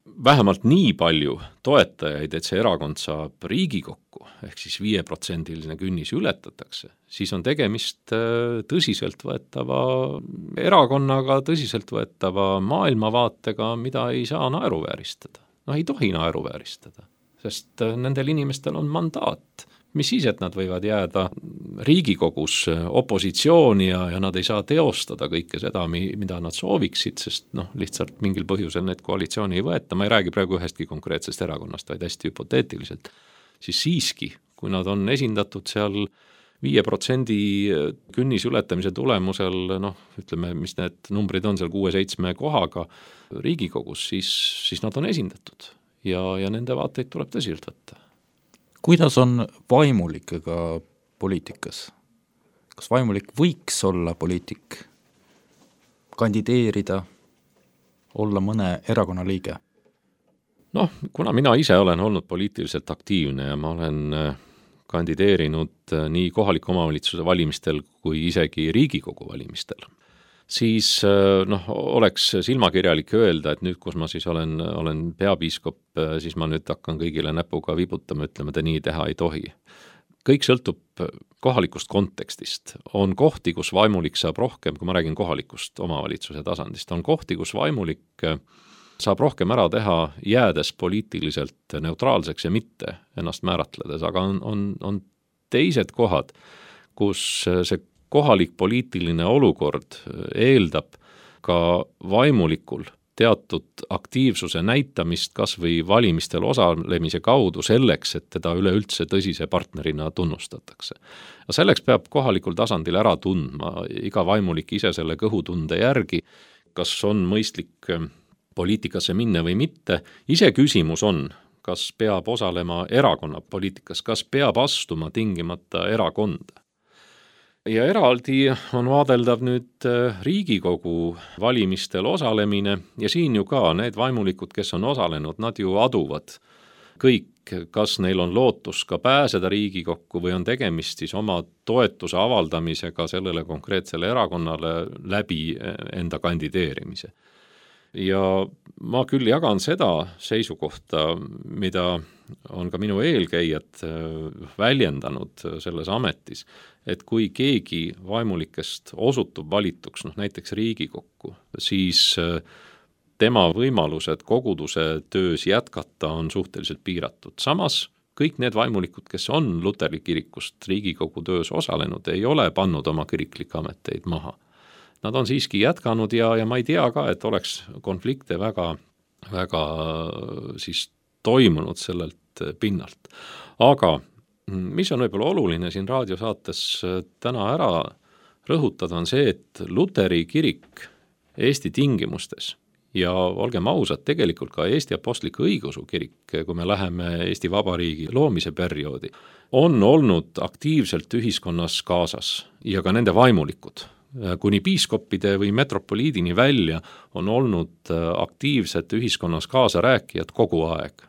vähemalt nii palju toetajaid, et see erakond saab Riigikokku, ehk siis viieprotsendiline künnis ületatakse, siis on tegemist tõsiselt võetava erakonnaga, tõsiselt võetava maailmavaatega, mida ei saa naeruvääristada. No ei tohi naeruvääristada, sest nendel inimestel on mandaat. Mis siis, et nad võivad jääda Riigikogus opositsiooni ja, ja nad ei saa teostada kõike seda, mida nad sooviksid, sest noh, lihtsalt mingil põhjusel need koalitsiooni ei võeta. Ma ei räägi praegu ühestki konkreetsest erakonnast, vaid hästi hüpoteetiliselt. Siis siiski, kui nad on esindatud seal viie protsendi künnis ületamise tulemusel, noh, ütleme, mis need numbrid on seal kuue-seitsme kohaga Riigikogus, siis, siis nad on esindatud ja, ja nende vaateid tuleb tõsiselt võtta. Kuidas on vaimulikega poliitikas? Kas vaimulik võiks olla poliitik, kandideerida, olla mõne erakonna liige? Noh, kuna mina ise olen olnud poliitiliselt aktiivne ja ma olen kandideerinud nii kohaliku omavalitsuse valimistel kui isegi Riigikogu valimistel, siis noh, oleks silmakirjalik öelda, et nüüd, kus ma siis olen, olen peapiiskop, siis ma nüüd hakkan kõigile näpuga vibutama, ütleme, te nii teha ei tohi. Kõik sõltub kohalikust kontekstist. On kohti, kus vaimulik saab rohkem, kui ma räägin kohalikust omavalitsuse tasandist, on kohti, kus vaimulik saab rohkem ära teha, jäädes poliitiliselt neutraalseks ja mitte ennast määratledes, aga on, on, on teised kohad, kus see kohalik poliitiline olukord eeldab ka vaimulikul teatud aktiivsuse näitamist kas või valimistel osalemise kaudu selleks, et teda üleüldse tõsise partnerina tunnustatakse. Ja selleks peab kohalikul tasandil ära tundma iga vaimulik ise selle kõhutunde järgi, kas on mõistlik poliitikasse minna või mitte. Ise küsimus on, kas peab osalema erakonna poliitikas, kas peab astuma tingimata erakonda. Ja eraldi on vaadeldav nüüd Riigikogu valimistel osalemine ja siin ju ka need vaimulikud, kes on osalenud, nad ju aduvad kõik, kas neil on lootus ka pääseda Riigikokku või on tegemist siis oma toetuse avaldamisega sellele konkreetsele erakonnale läbi enda kandideerimise. Ja ma küll jagan seda seisukohta, mida on ka minu eelkäijad väljendanud selles ametis, et kui keegi vaimulikest osutub valituks, noh näiteks Riigikokku, siis tema võimalused koguduse töös jätkata on suhteliselt piiratud. Samas kõik need vaimulikud, kes on Luteri kirikust Riigikogu töös osalenud, ei ole pannud oma kiriklikke ameteid maha. Nad on siiski jätkanud ja, ja ma ei tea ka, et oleks konflikte väga, väga siis toimunud sellelt pinnalt. Aga mis on võib-olla oluline siin raadiosaates täna ära rõhutada, on see, et Luteri kirik Eesti tingimustes ja olgem ausad, tegelikult ka Eesti Apostliku Õigeusu kirik, kui me läheme Eesti Vabariigi loomise perioodi, on olnud aktiivselt ühiskonnas kaasas ja ka nende vaimulikud. Kuni piiskoppide või metropoliidini välja on olnud aktiivsed ühiskonnas kaasarääkijad kogu aeg.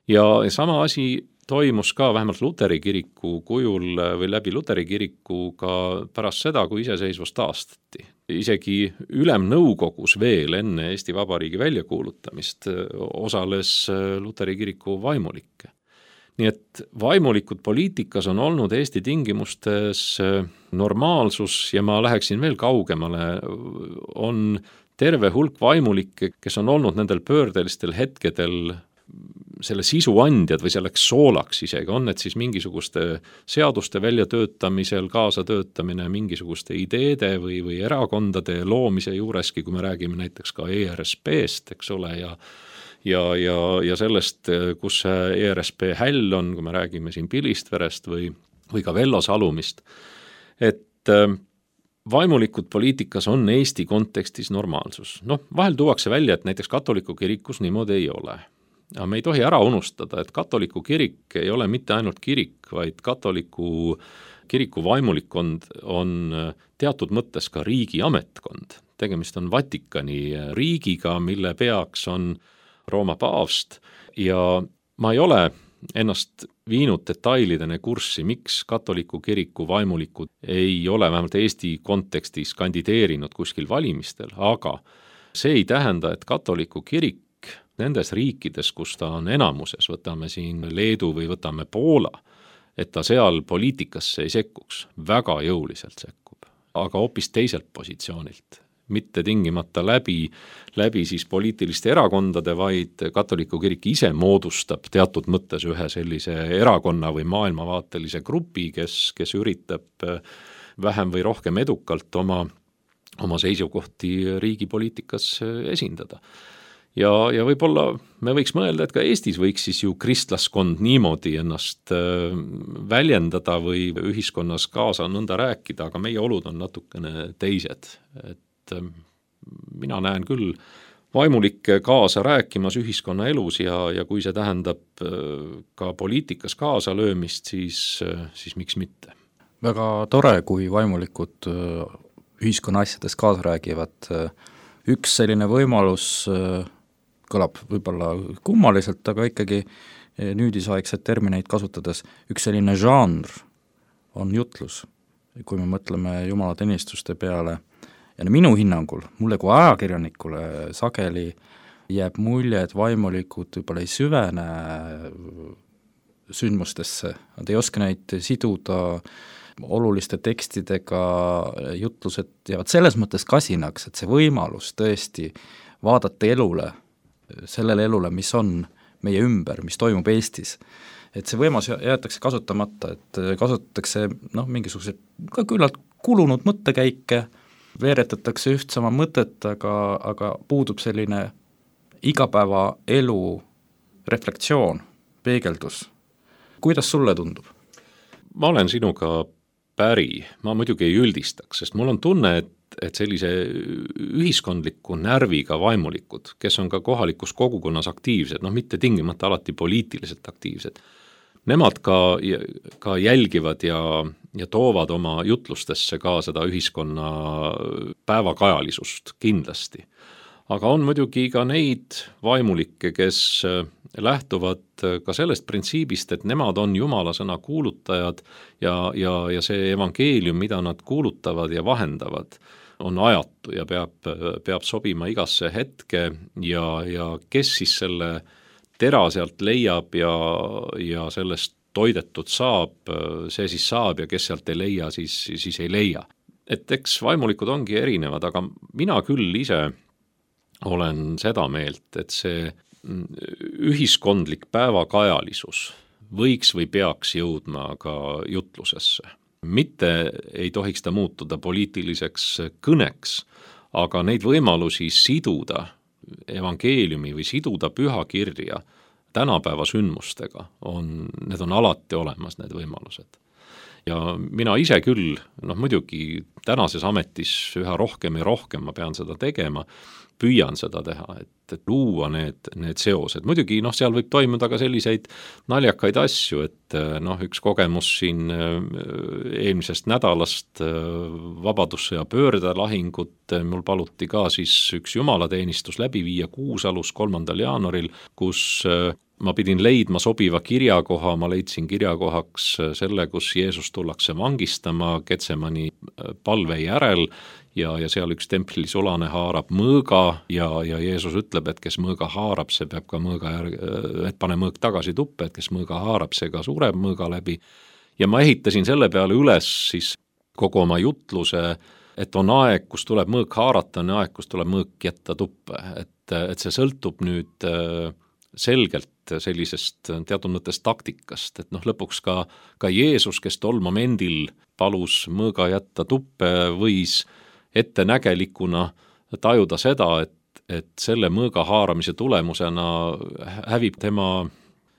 Ja sama asi toimus ka vähemalt Luteri kiriku kujul või läbi Luteri kiriku ka pärast seda, kui iseseisvus taastati. Isegi ülemnõukogus veel enne Eesti Vabariigi väljakuulutamist osales Luteri kiriku vaimulikke. Nii et vaimulikud poliitikas on olnud Eesti tingimustes normaalsus ja ma läheksin veel kaugemale, on terve hulk vaimulikke, kes on olnud nendel pöördelistel hetkedel selle sisu andjad või selleks soolaks isegi, on need siis mingisuguste seaduste väljatöötamisel, kaasatöötamine mingisuguste ideede või, või erakondade loomise juureski, kui me räägime näiteks ka E R S P-st, eks ole, ja ja, ja, ja sellest, kus see E R S P häll on, kui me räägime siin Pilistverest või, või ka Vello Salumist, et vaimulikud poliitikas on Eesti kontekstis normaalsus. Noh, vahel tuuakse välja, et näiteks katoliku kirikus niimoodi ei ole. Aga me ei tohi ära unustada, et katoliku kirik ei ole mitte ainult kirik, vaid katoliku kiriku vaimulikkond on teatud mõttes ka riigi ametkond. Tegemist on Vatikani riigiga, mille peaks on Rooma paavst ja ma ei ole ennast viinud detailidene kurssi, miks katoliku kiriku vaimulikud ei ole vähemalt Eesti kontekstis kandideerinud kuskil valimistel, aga see ei tähenda, et katoliku kirik nendes riikides, kus ta on enamuses, võtame siin Leedu või võtame Poola, et ta seal poliitikasse ei sekkuks, väga jõuliselt sekkub, aga hoopis teiselt positsioonilt. Mitte tingimata läbi, läbi siis poliitiliste erakondade, vaid katoliku kirik ise moodustab teatud mõttes ühe sellise erakonna või maailmavaatelise grupi, kes, kes üritab vähem või rohkem edukalt oma, oma seisukohti riigipoliitikas esindada. Ja, ja võib-olla me võiks mõelda, et ka Eestis võiks siis ju kristlaskond niimoodi ennast väljendada või ühiskonnas kaasa nõnda rääkida, aga meie olud on natukene teised. Et mina näen küll vaimulikke kaasa rääkimas ühiskonna elus ja, ja kui see tähendab ka poliitikas kaasa löömist, siis, siis miks mitte. Väga tore, kui vaimulikud ühiskonna asjades kaasa räägivad. Üks selline võimalus kõlab võib-olla kummaliselt, aga ikkagi nüüdisaegset termineid kasutades üks selline žanr on jutlus, kui me mõtleme jumalateenistuste peale. Ja minu hinnangul, mulle kui ajakirjanikule sageli jääb mulje, et vaimulikud võib-olla ei süvene sündmustesse, nad ei oska neid siduda oluliste tekstidega, jutlused jäävad selles mõttes kasinaks, et see võimalus tõesti vaadata elule, sellele elule, mis on meie ümber, mis toimub Eestis, et see võimalus jäetakse kasutamata, et kasutatakse noh, mingisugused ka küllalt kulunud mõttekäike, veeretatakse üht sama mõtet, aga, aga puudub selline igapäeva elu reflektsioon, peegeldus. Kuidas sulle tundub? Ma olen sinuga päri, ma muidugi ei üldistaks, sest mul on tunne, et, et sellise ühiskondliku närviga vaimulikud, kes on ka kohalikus kogukonnas aktiivsed, noh mitte tingimata alati poliitiliselt aktiivsed, nemad ka, ka jälgivad ja, ja toovad oma jutlustesse ka seda ühiskonna päevakajalisust kindlasti. Aga on muidugi ka neid vaimulikke, kes lähtuvad ka sellest printsiibist, et nemad on Jumala sõna kuulutajad ja, ja, ja see evangeelium, mida nad kuulutavad ja vahendavad, on ajatu ja peab, peab sobima igasse hetke ja, ja kes siis selle tera sealt leiab ja, ja sellest toidetud saab, see siis saab ja kes sealt ei leia, siis, siis ei leia. Et eks vaimulikud ongi erinevad, aga mina küll ise olen seda meelt, et see ühiskondlik päevakajalisus võiks või peaks jõudma ka jutlusesse. Mitte ei tohiks ta muutuda poliitiliseks kõneks, aga neid võimalusi siduda evangeeliumi või siduda pühakirja tänapäeva sündmustega on, need on alati olemas, need võimalused. Ja mina ise küll, noh muidugi tänases ametis üha rohkem ja rohkem ma pean seda tegema, püüan seda teha, et, et luua need, need seosed. Muidugi noh, seal võib toimuda ka selliseid naljakaid asju, et noh, üks kogemus siin eelmisest nädalast vabadussõja pöördelahingut, mul paluti ka siis üks jumalateenistus läbi viia Kuusalus kolmandal jaanuaril, kus ma pidin leidma sobiva kirjakoha, ma leidsin kirjakohaks selle, kus Jeesus tullakse vangistama Getsemani palve järel ja, ja seal üks templi sulane haarab mõõga ja, ja Jeesus ütleb, et kes mõõga haarab, see peab ka mõõga järg, et pane mõõg tagasi tuppe, et kes mõõga haarab, see ka sureb mõõga läbi. Ja ma ehitasin selle peale üles siis kogu oma jutluse, et on aeg, kus tuleb mõõg haarata, on aeg, kus tuleb mõõg jätta tuppe, et, et see sõltub nüüd selgelt sellisest teatud mõttes taktikast, et noh, lõpuks ka, ka Jeesus, kes tol momendil palus mõõga jätta tuppe, võis ettenägelikuna tajuda seda, et, et selle mõõga haaramise tulemusena hävib tema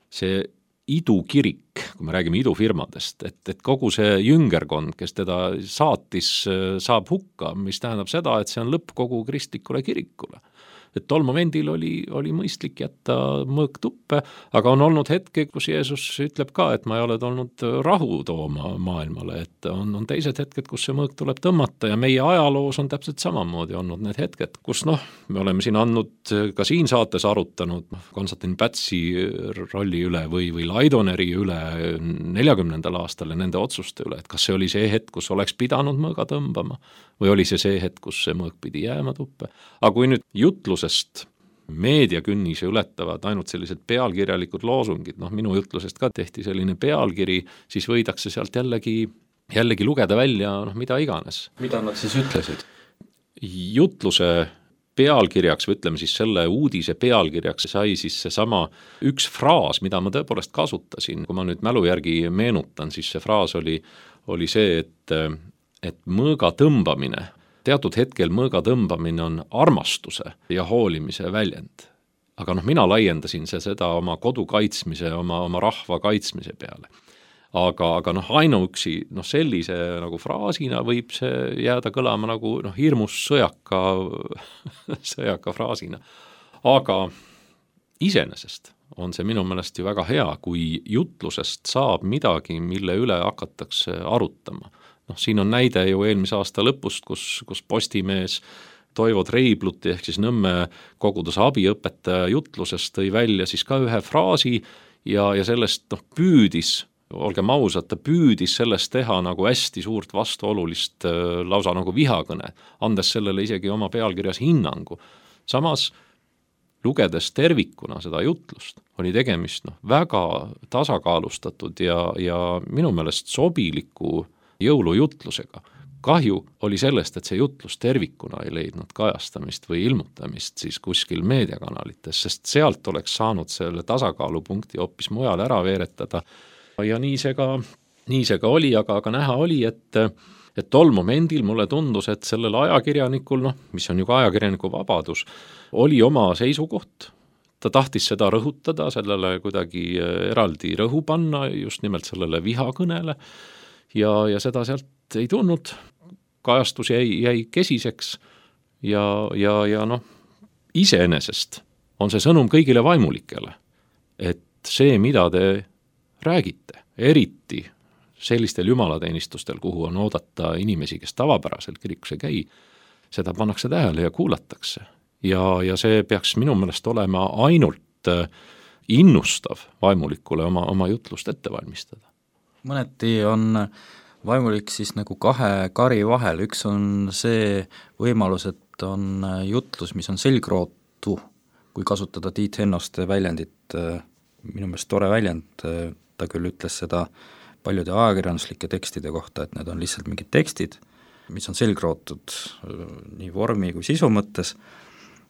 see idukirik, kui me räägime idufirmadest, et, et kogu see jüngerkond, kes teda saatis, saab hukka, mis tähendab seda, et see on lõpp kogu kristlikule kirikule. Et tol momendil oli, oli mõistlik jätta mõõg tuppe, aga on olnud hetke, kus Jeesus ütleb ka, et ma ei ole tulnud rahu tooma maailmale, et on, on teised hetked, kus see mõõg tuleb tõmmata ja meie ajaloos on täpselt samamoodi olnud need hetked, kus noh, me oleme siin andnud, ka siin saates arutanud Konstantin Pätsi rolli üle või, või Laidoneri üle neljakümnendal aastal ja nende otsuste üle, et kas see oli see hetk, kus oleks pidanud mõõga tõmbama või oli see see hetk, kus see mõõg pidi jääma tuppe. Aga kui nüüd jutlusest meediakünnise ületavad ainult sellised pealkirjalikud loosungid, noh minu jutlusest ka tehti selline pealkiri, siis võidakse sealt jällegi, jällegi lugeda välja noh, mida iganes. Mida nad siis ütlesid? Jutluse pealkirjaks või ütleme siis selle uudise pealkirjaks sai siis seesama üks fraas, mida ma tõepoolest kasutasin, kui ma nüüd mälu järgi meenutan, siis see fraas oli, oli see, et et mõõga tõmbamine, teatud hetkel mõõga tõmbamine on armastuse ja hoolimise väljend. Aga noh, mina laiendasin see seda oma kodu kaitsmise, oma, oma rahva kaitsmise peale. Aga, aga noh, ainuüksi noh, sellise nagu fraasina võib see jääda kõlama nagu noh, hirmus sõjaka, sõjaka fraasina. Aga iseenesest on see minu meelest ju väga hea, kui jutlusest saab midagi, mille üle hakatakse arutama. noh, siin on näide ju eelmise aasta lõpust, kus, kus Postimees Toivo Treibluti ehk siis Nõmme koguduse abiõpetaja jutlusest tõi välja siis ka ühe fraasi ja, ja sellest noh, püüdis, olgem ausad, ta püüdis sellest teha nagu hästi suurt vastuolulist lausa nagu vihakõne, andes sellele isegi oma pealkirjas hinnangu. Samas lugedes tervikuna seda jutlust, oli tegemist noh, väga tasakaalustatud ja, ja minu meelest sobiliku jõulujutlusega. Kahju oli sellest, et see jutlus tervikuna ei leidnud kajastamist või ilmutamist siis kuskil meediakanalites, sest sealt oleks saanud selle tasakaalupunkti hoopis mujal ära veeretada. Ja nii see ka, nii see ka oli, aga, aga näha oli, et, et tol momendil mulle tundus, et sellel ajakirjanikul, noh, mis on ju ka ajakirjaniku vabadus, oli oma seisukoht. Ta tahtis seda rõhutada, sellele kuidagi eraldi rõhu panna, just nimelt sellele vihakõnele. Ja, ja seda sealt ei tulnud, kajastus jäi, jäi kesiseks ja, ja, ja noh, iseenesest on see sõnum kõigile vaimulikele, et see, mida te räägite, eriti sellistel jumalateenistustel, kuhu on oodata inimesi, kes tavapäraselt kirikus ei käi, seda pannakse tähele ja kuulatakse. Ja, ja see peaks minu meelest olema ainult innustav vaimulikule oma, oma jutlust ette valmistada. Mõneti on vaimulik siis nagu kahe kari vahel, üks on see võimalus, et on jutlus, mis on selgrootu, kui kasutada Tiit Hennoste väljendit, minu meelest tore väljend, ta küll ütles seda paljude ajakirjanduslike tekstide kohta, et need on lihtsalt mingid tekstid, mis on selgrootud nii vormi kui sisu mõttes,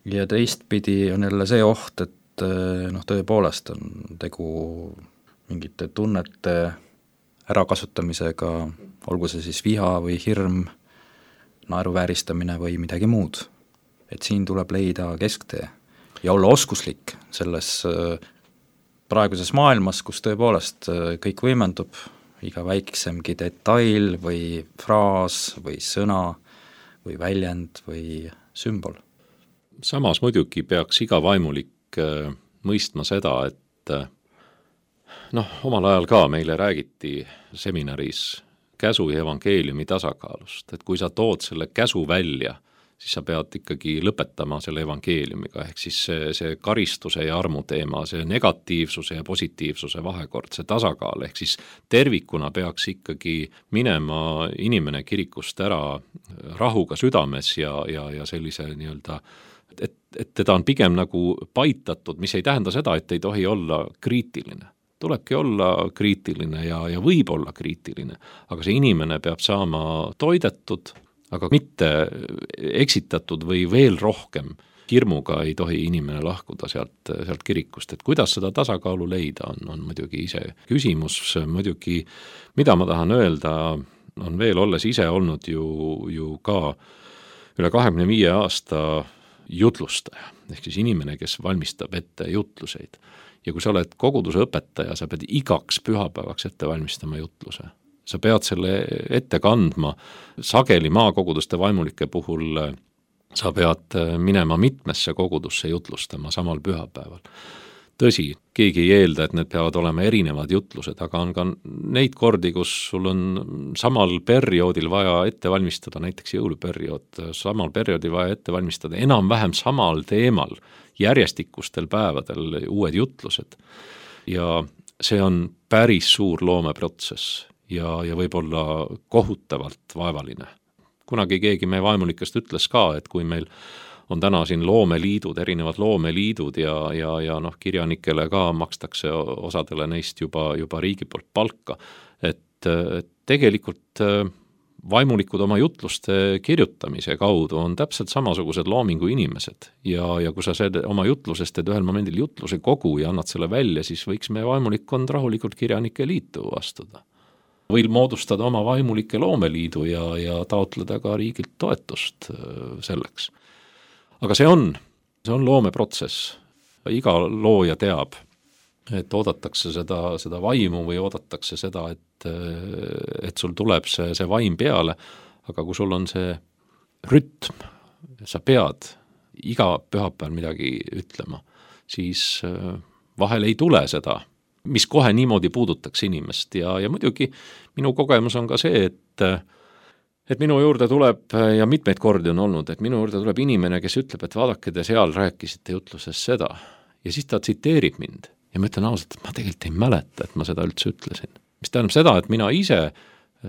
ja teistpidi on jälle see oht, et noh, tõepoolest on tegu mingite tunnete ärakasutamisega, olgu see siis viha või hirm, naeruvääristamine või midagi muud. Et siin tuleb leida kesktee ja olla oskuslik selles praeguses maailmas, kus tõepoolest kõik võimendub, iga väiksemgi detail või fraas või sõna või väljend või sümbol. Samas muidugi peaks iga vaimulik mõistma seda, et noh, omal ajal ka meile räägiti seminaris käsu ja evangeeliumi tasakaalust, et kui sa tood selle käsu välja, siis sa pead ikkagi lõpetama selle evangeeliumiga, ehk siis see, see karistuse ja armu teema, see negatiivsuse ja positiivsuse vahekord, see tasakaal, ehk siis tervikuna peaks ikkagi minema inimene kirikust ära rahuga südames ja, ja, ja sellise nii-öelda, et, et teda on pigem nagu paitatud, mis ei tähenda seda, et ei tohi olla kriitiline. Tulebki olla kriitiline ja, ja võib olla kriitiline, aga see inimene peab saama toidetud, aga mitte eksitatud või veel rohkem hirmuga ei tohi inimene lahkuda sealt, sealt kirikust. Et kuidas seda tasakaalu leida on, on muidugi ise küsimus, muidugi mida ma tahan öelda, on veel olles ise olnud ju, ju ka üle kahekümne viie aasta jutlustaja, ehk siis inimene, kes valmistab ette jutluseid. Ja kui sa oled koguduse õpetaja, sa pead igaks pühapäevaks ette valmistama jutluse. Sa pead selle ette kandma, sageli maakoguduste vaimulike puhul sa pead minema mitmesse kogudusse jutlustama samal pühapäeval. Tõsi, keegi ei eelda, et need peavad olema erinevad jutlused, aga on ka neid kordi, kus sul on samal perioodil vaja ette valmistada, näiteks jõuluperiood, samal perioodil vaja ette valmistada enam-vähem samal teemal järjestikustel päevadel uued jutlused. Ja see on päris suur loomeprotsess. Ja, ja võib-olla kohutavalt vaevaline. Kunagi keegi meie vaimulikest ütles ka, et kui meil on täna siin loomeliidud, erinevad loomeliidud ja, ja, ja noh, kirjanikele ka makstakse osadele neist juba, juba riigi poolt palka, et, et tegelikult vaimulikud oma jutluste kirjutamise kaudu on täpselt samasugused loomingu inimesed ja, ja kui sa selle, oma jutlusest teed ühel momendil jutluse kogu ja annad selle välja, siis võiks meie vaimulikkond rahulikult kirjanike liitu astuda. Või moodustada oma vaimulike loomeliidu ja, ja taotleda ka riigilt toetust selleks. Aga see on, see on loomeprotsess. Iga looja teab, et oodatakse seda, seda vaimu või oodatakse seda, et, et sul tuleb see, see vaim peale, aga kui sul on see rütm, sa pead iga pühapäeval midagi ütlema, siis vahel ei tule seda, mis kohe niimoodi puudutaks inimest ja, ja muidugi minu kogemus on ka see, et, et minu juurde tuleb ja mitmeid kordi on olnud, et minu juurde tuleb inimene, kes ütleb, et vaadake, te seal rääkisite jutluses seda ja siis ta tsiteerib mind ja ma ütlen ausalt, et ma tegelikult ei mäleta, et ma seda üldse ütlesin. Mis tähendab seda, et mina ise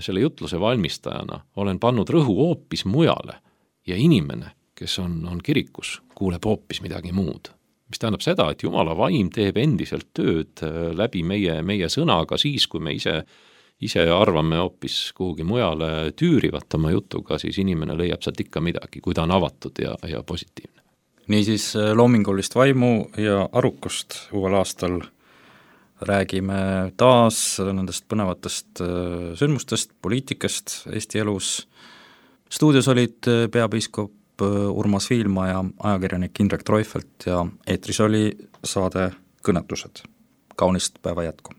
selle jutluse valmistajana olen pannud rõhu hoopis mujale ja inimene, kes on, on kirikus, kuuleb hoopis midagi muud. Mis tähendab seda, et Jumala vaim teeb endiselt tööd läbi meie, meie sõnaga siis, kui me ise, ise arvame hoopis kuhugi mujale tüürivat oma jutuga, siis inimene leiab sealt ikka midagi, kui ta on avatud ja, ja positiivne. Niisiis loomingulist vaimu ja arukust uuel aastal räägime taas nendest põnevatest sündmustest, poliitikast Eesti elus. Stuudios olid peapiiskop Urmas Viilma ja ajakirjanik Indrek Treufelt ja eetris oli saade Kõnetused. Kaunist päeva jätku!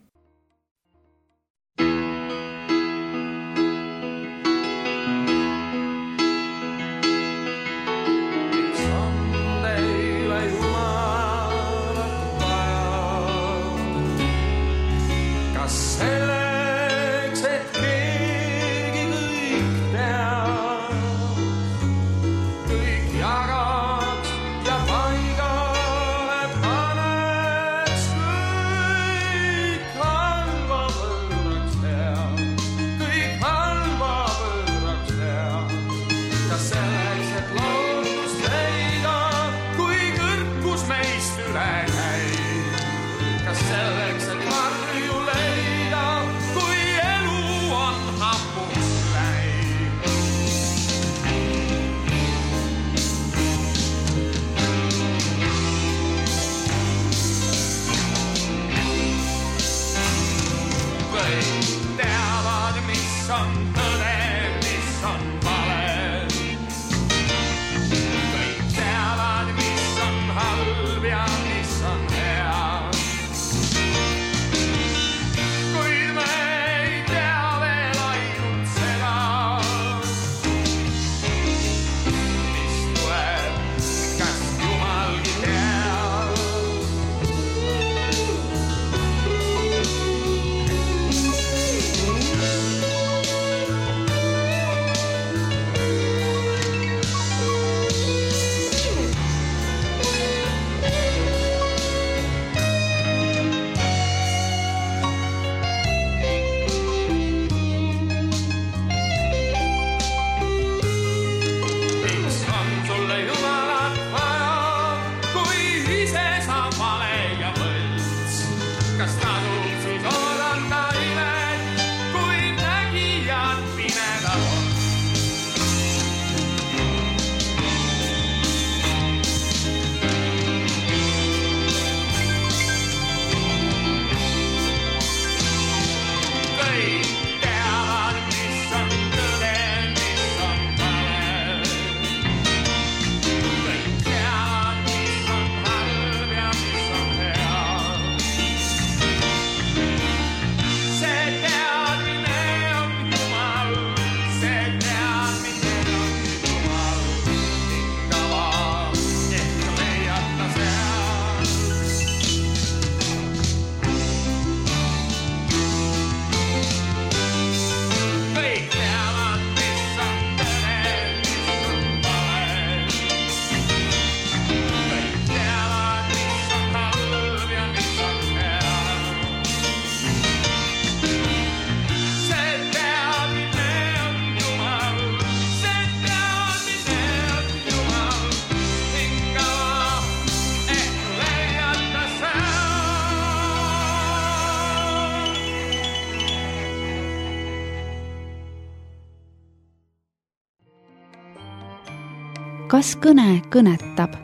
kas kõne kõnetab?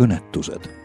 kõnetused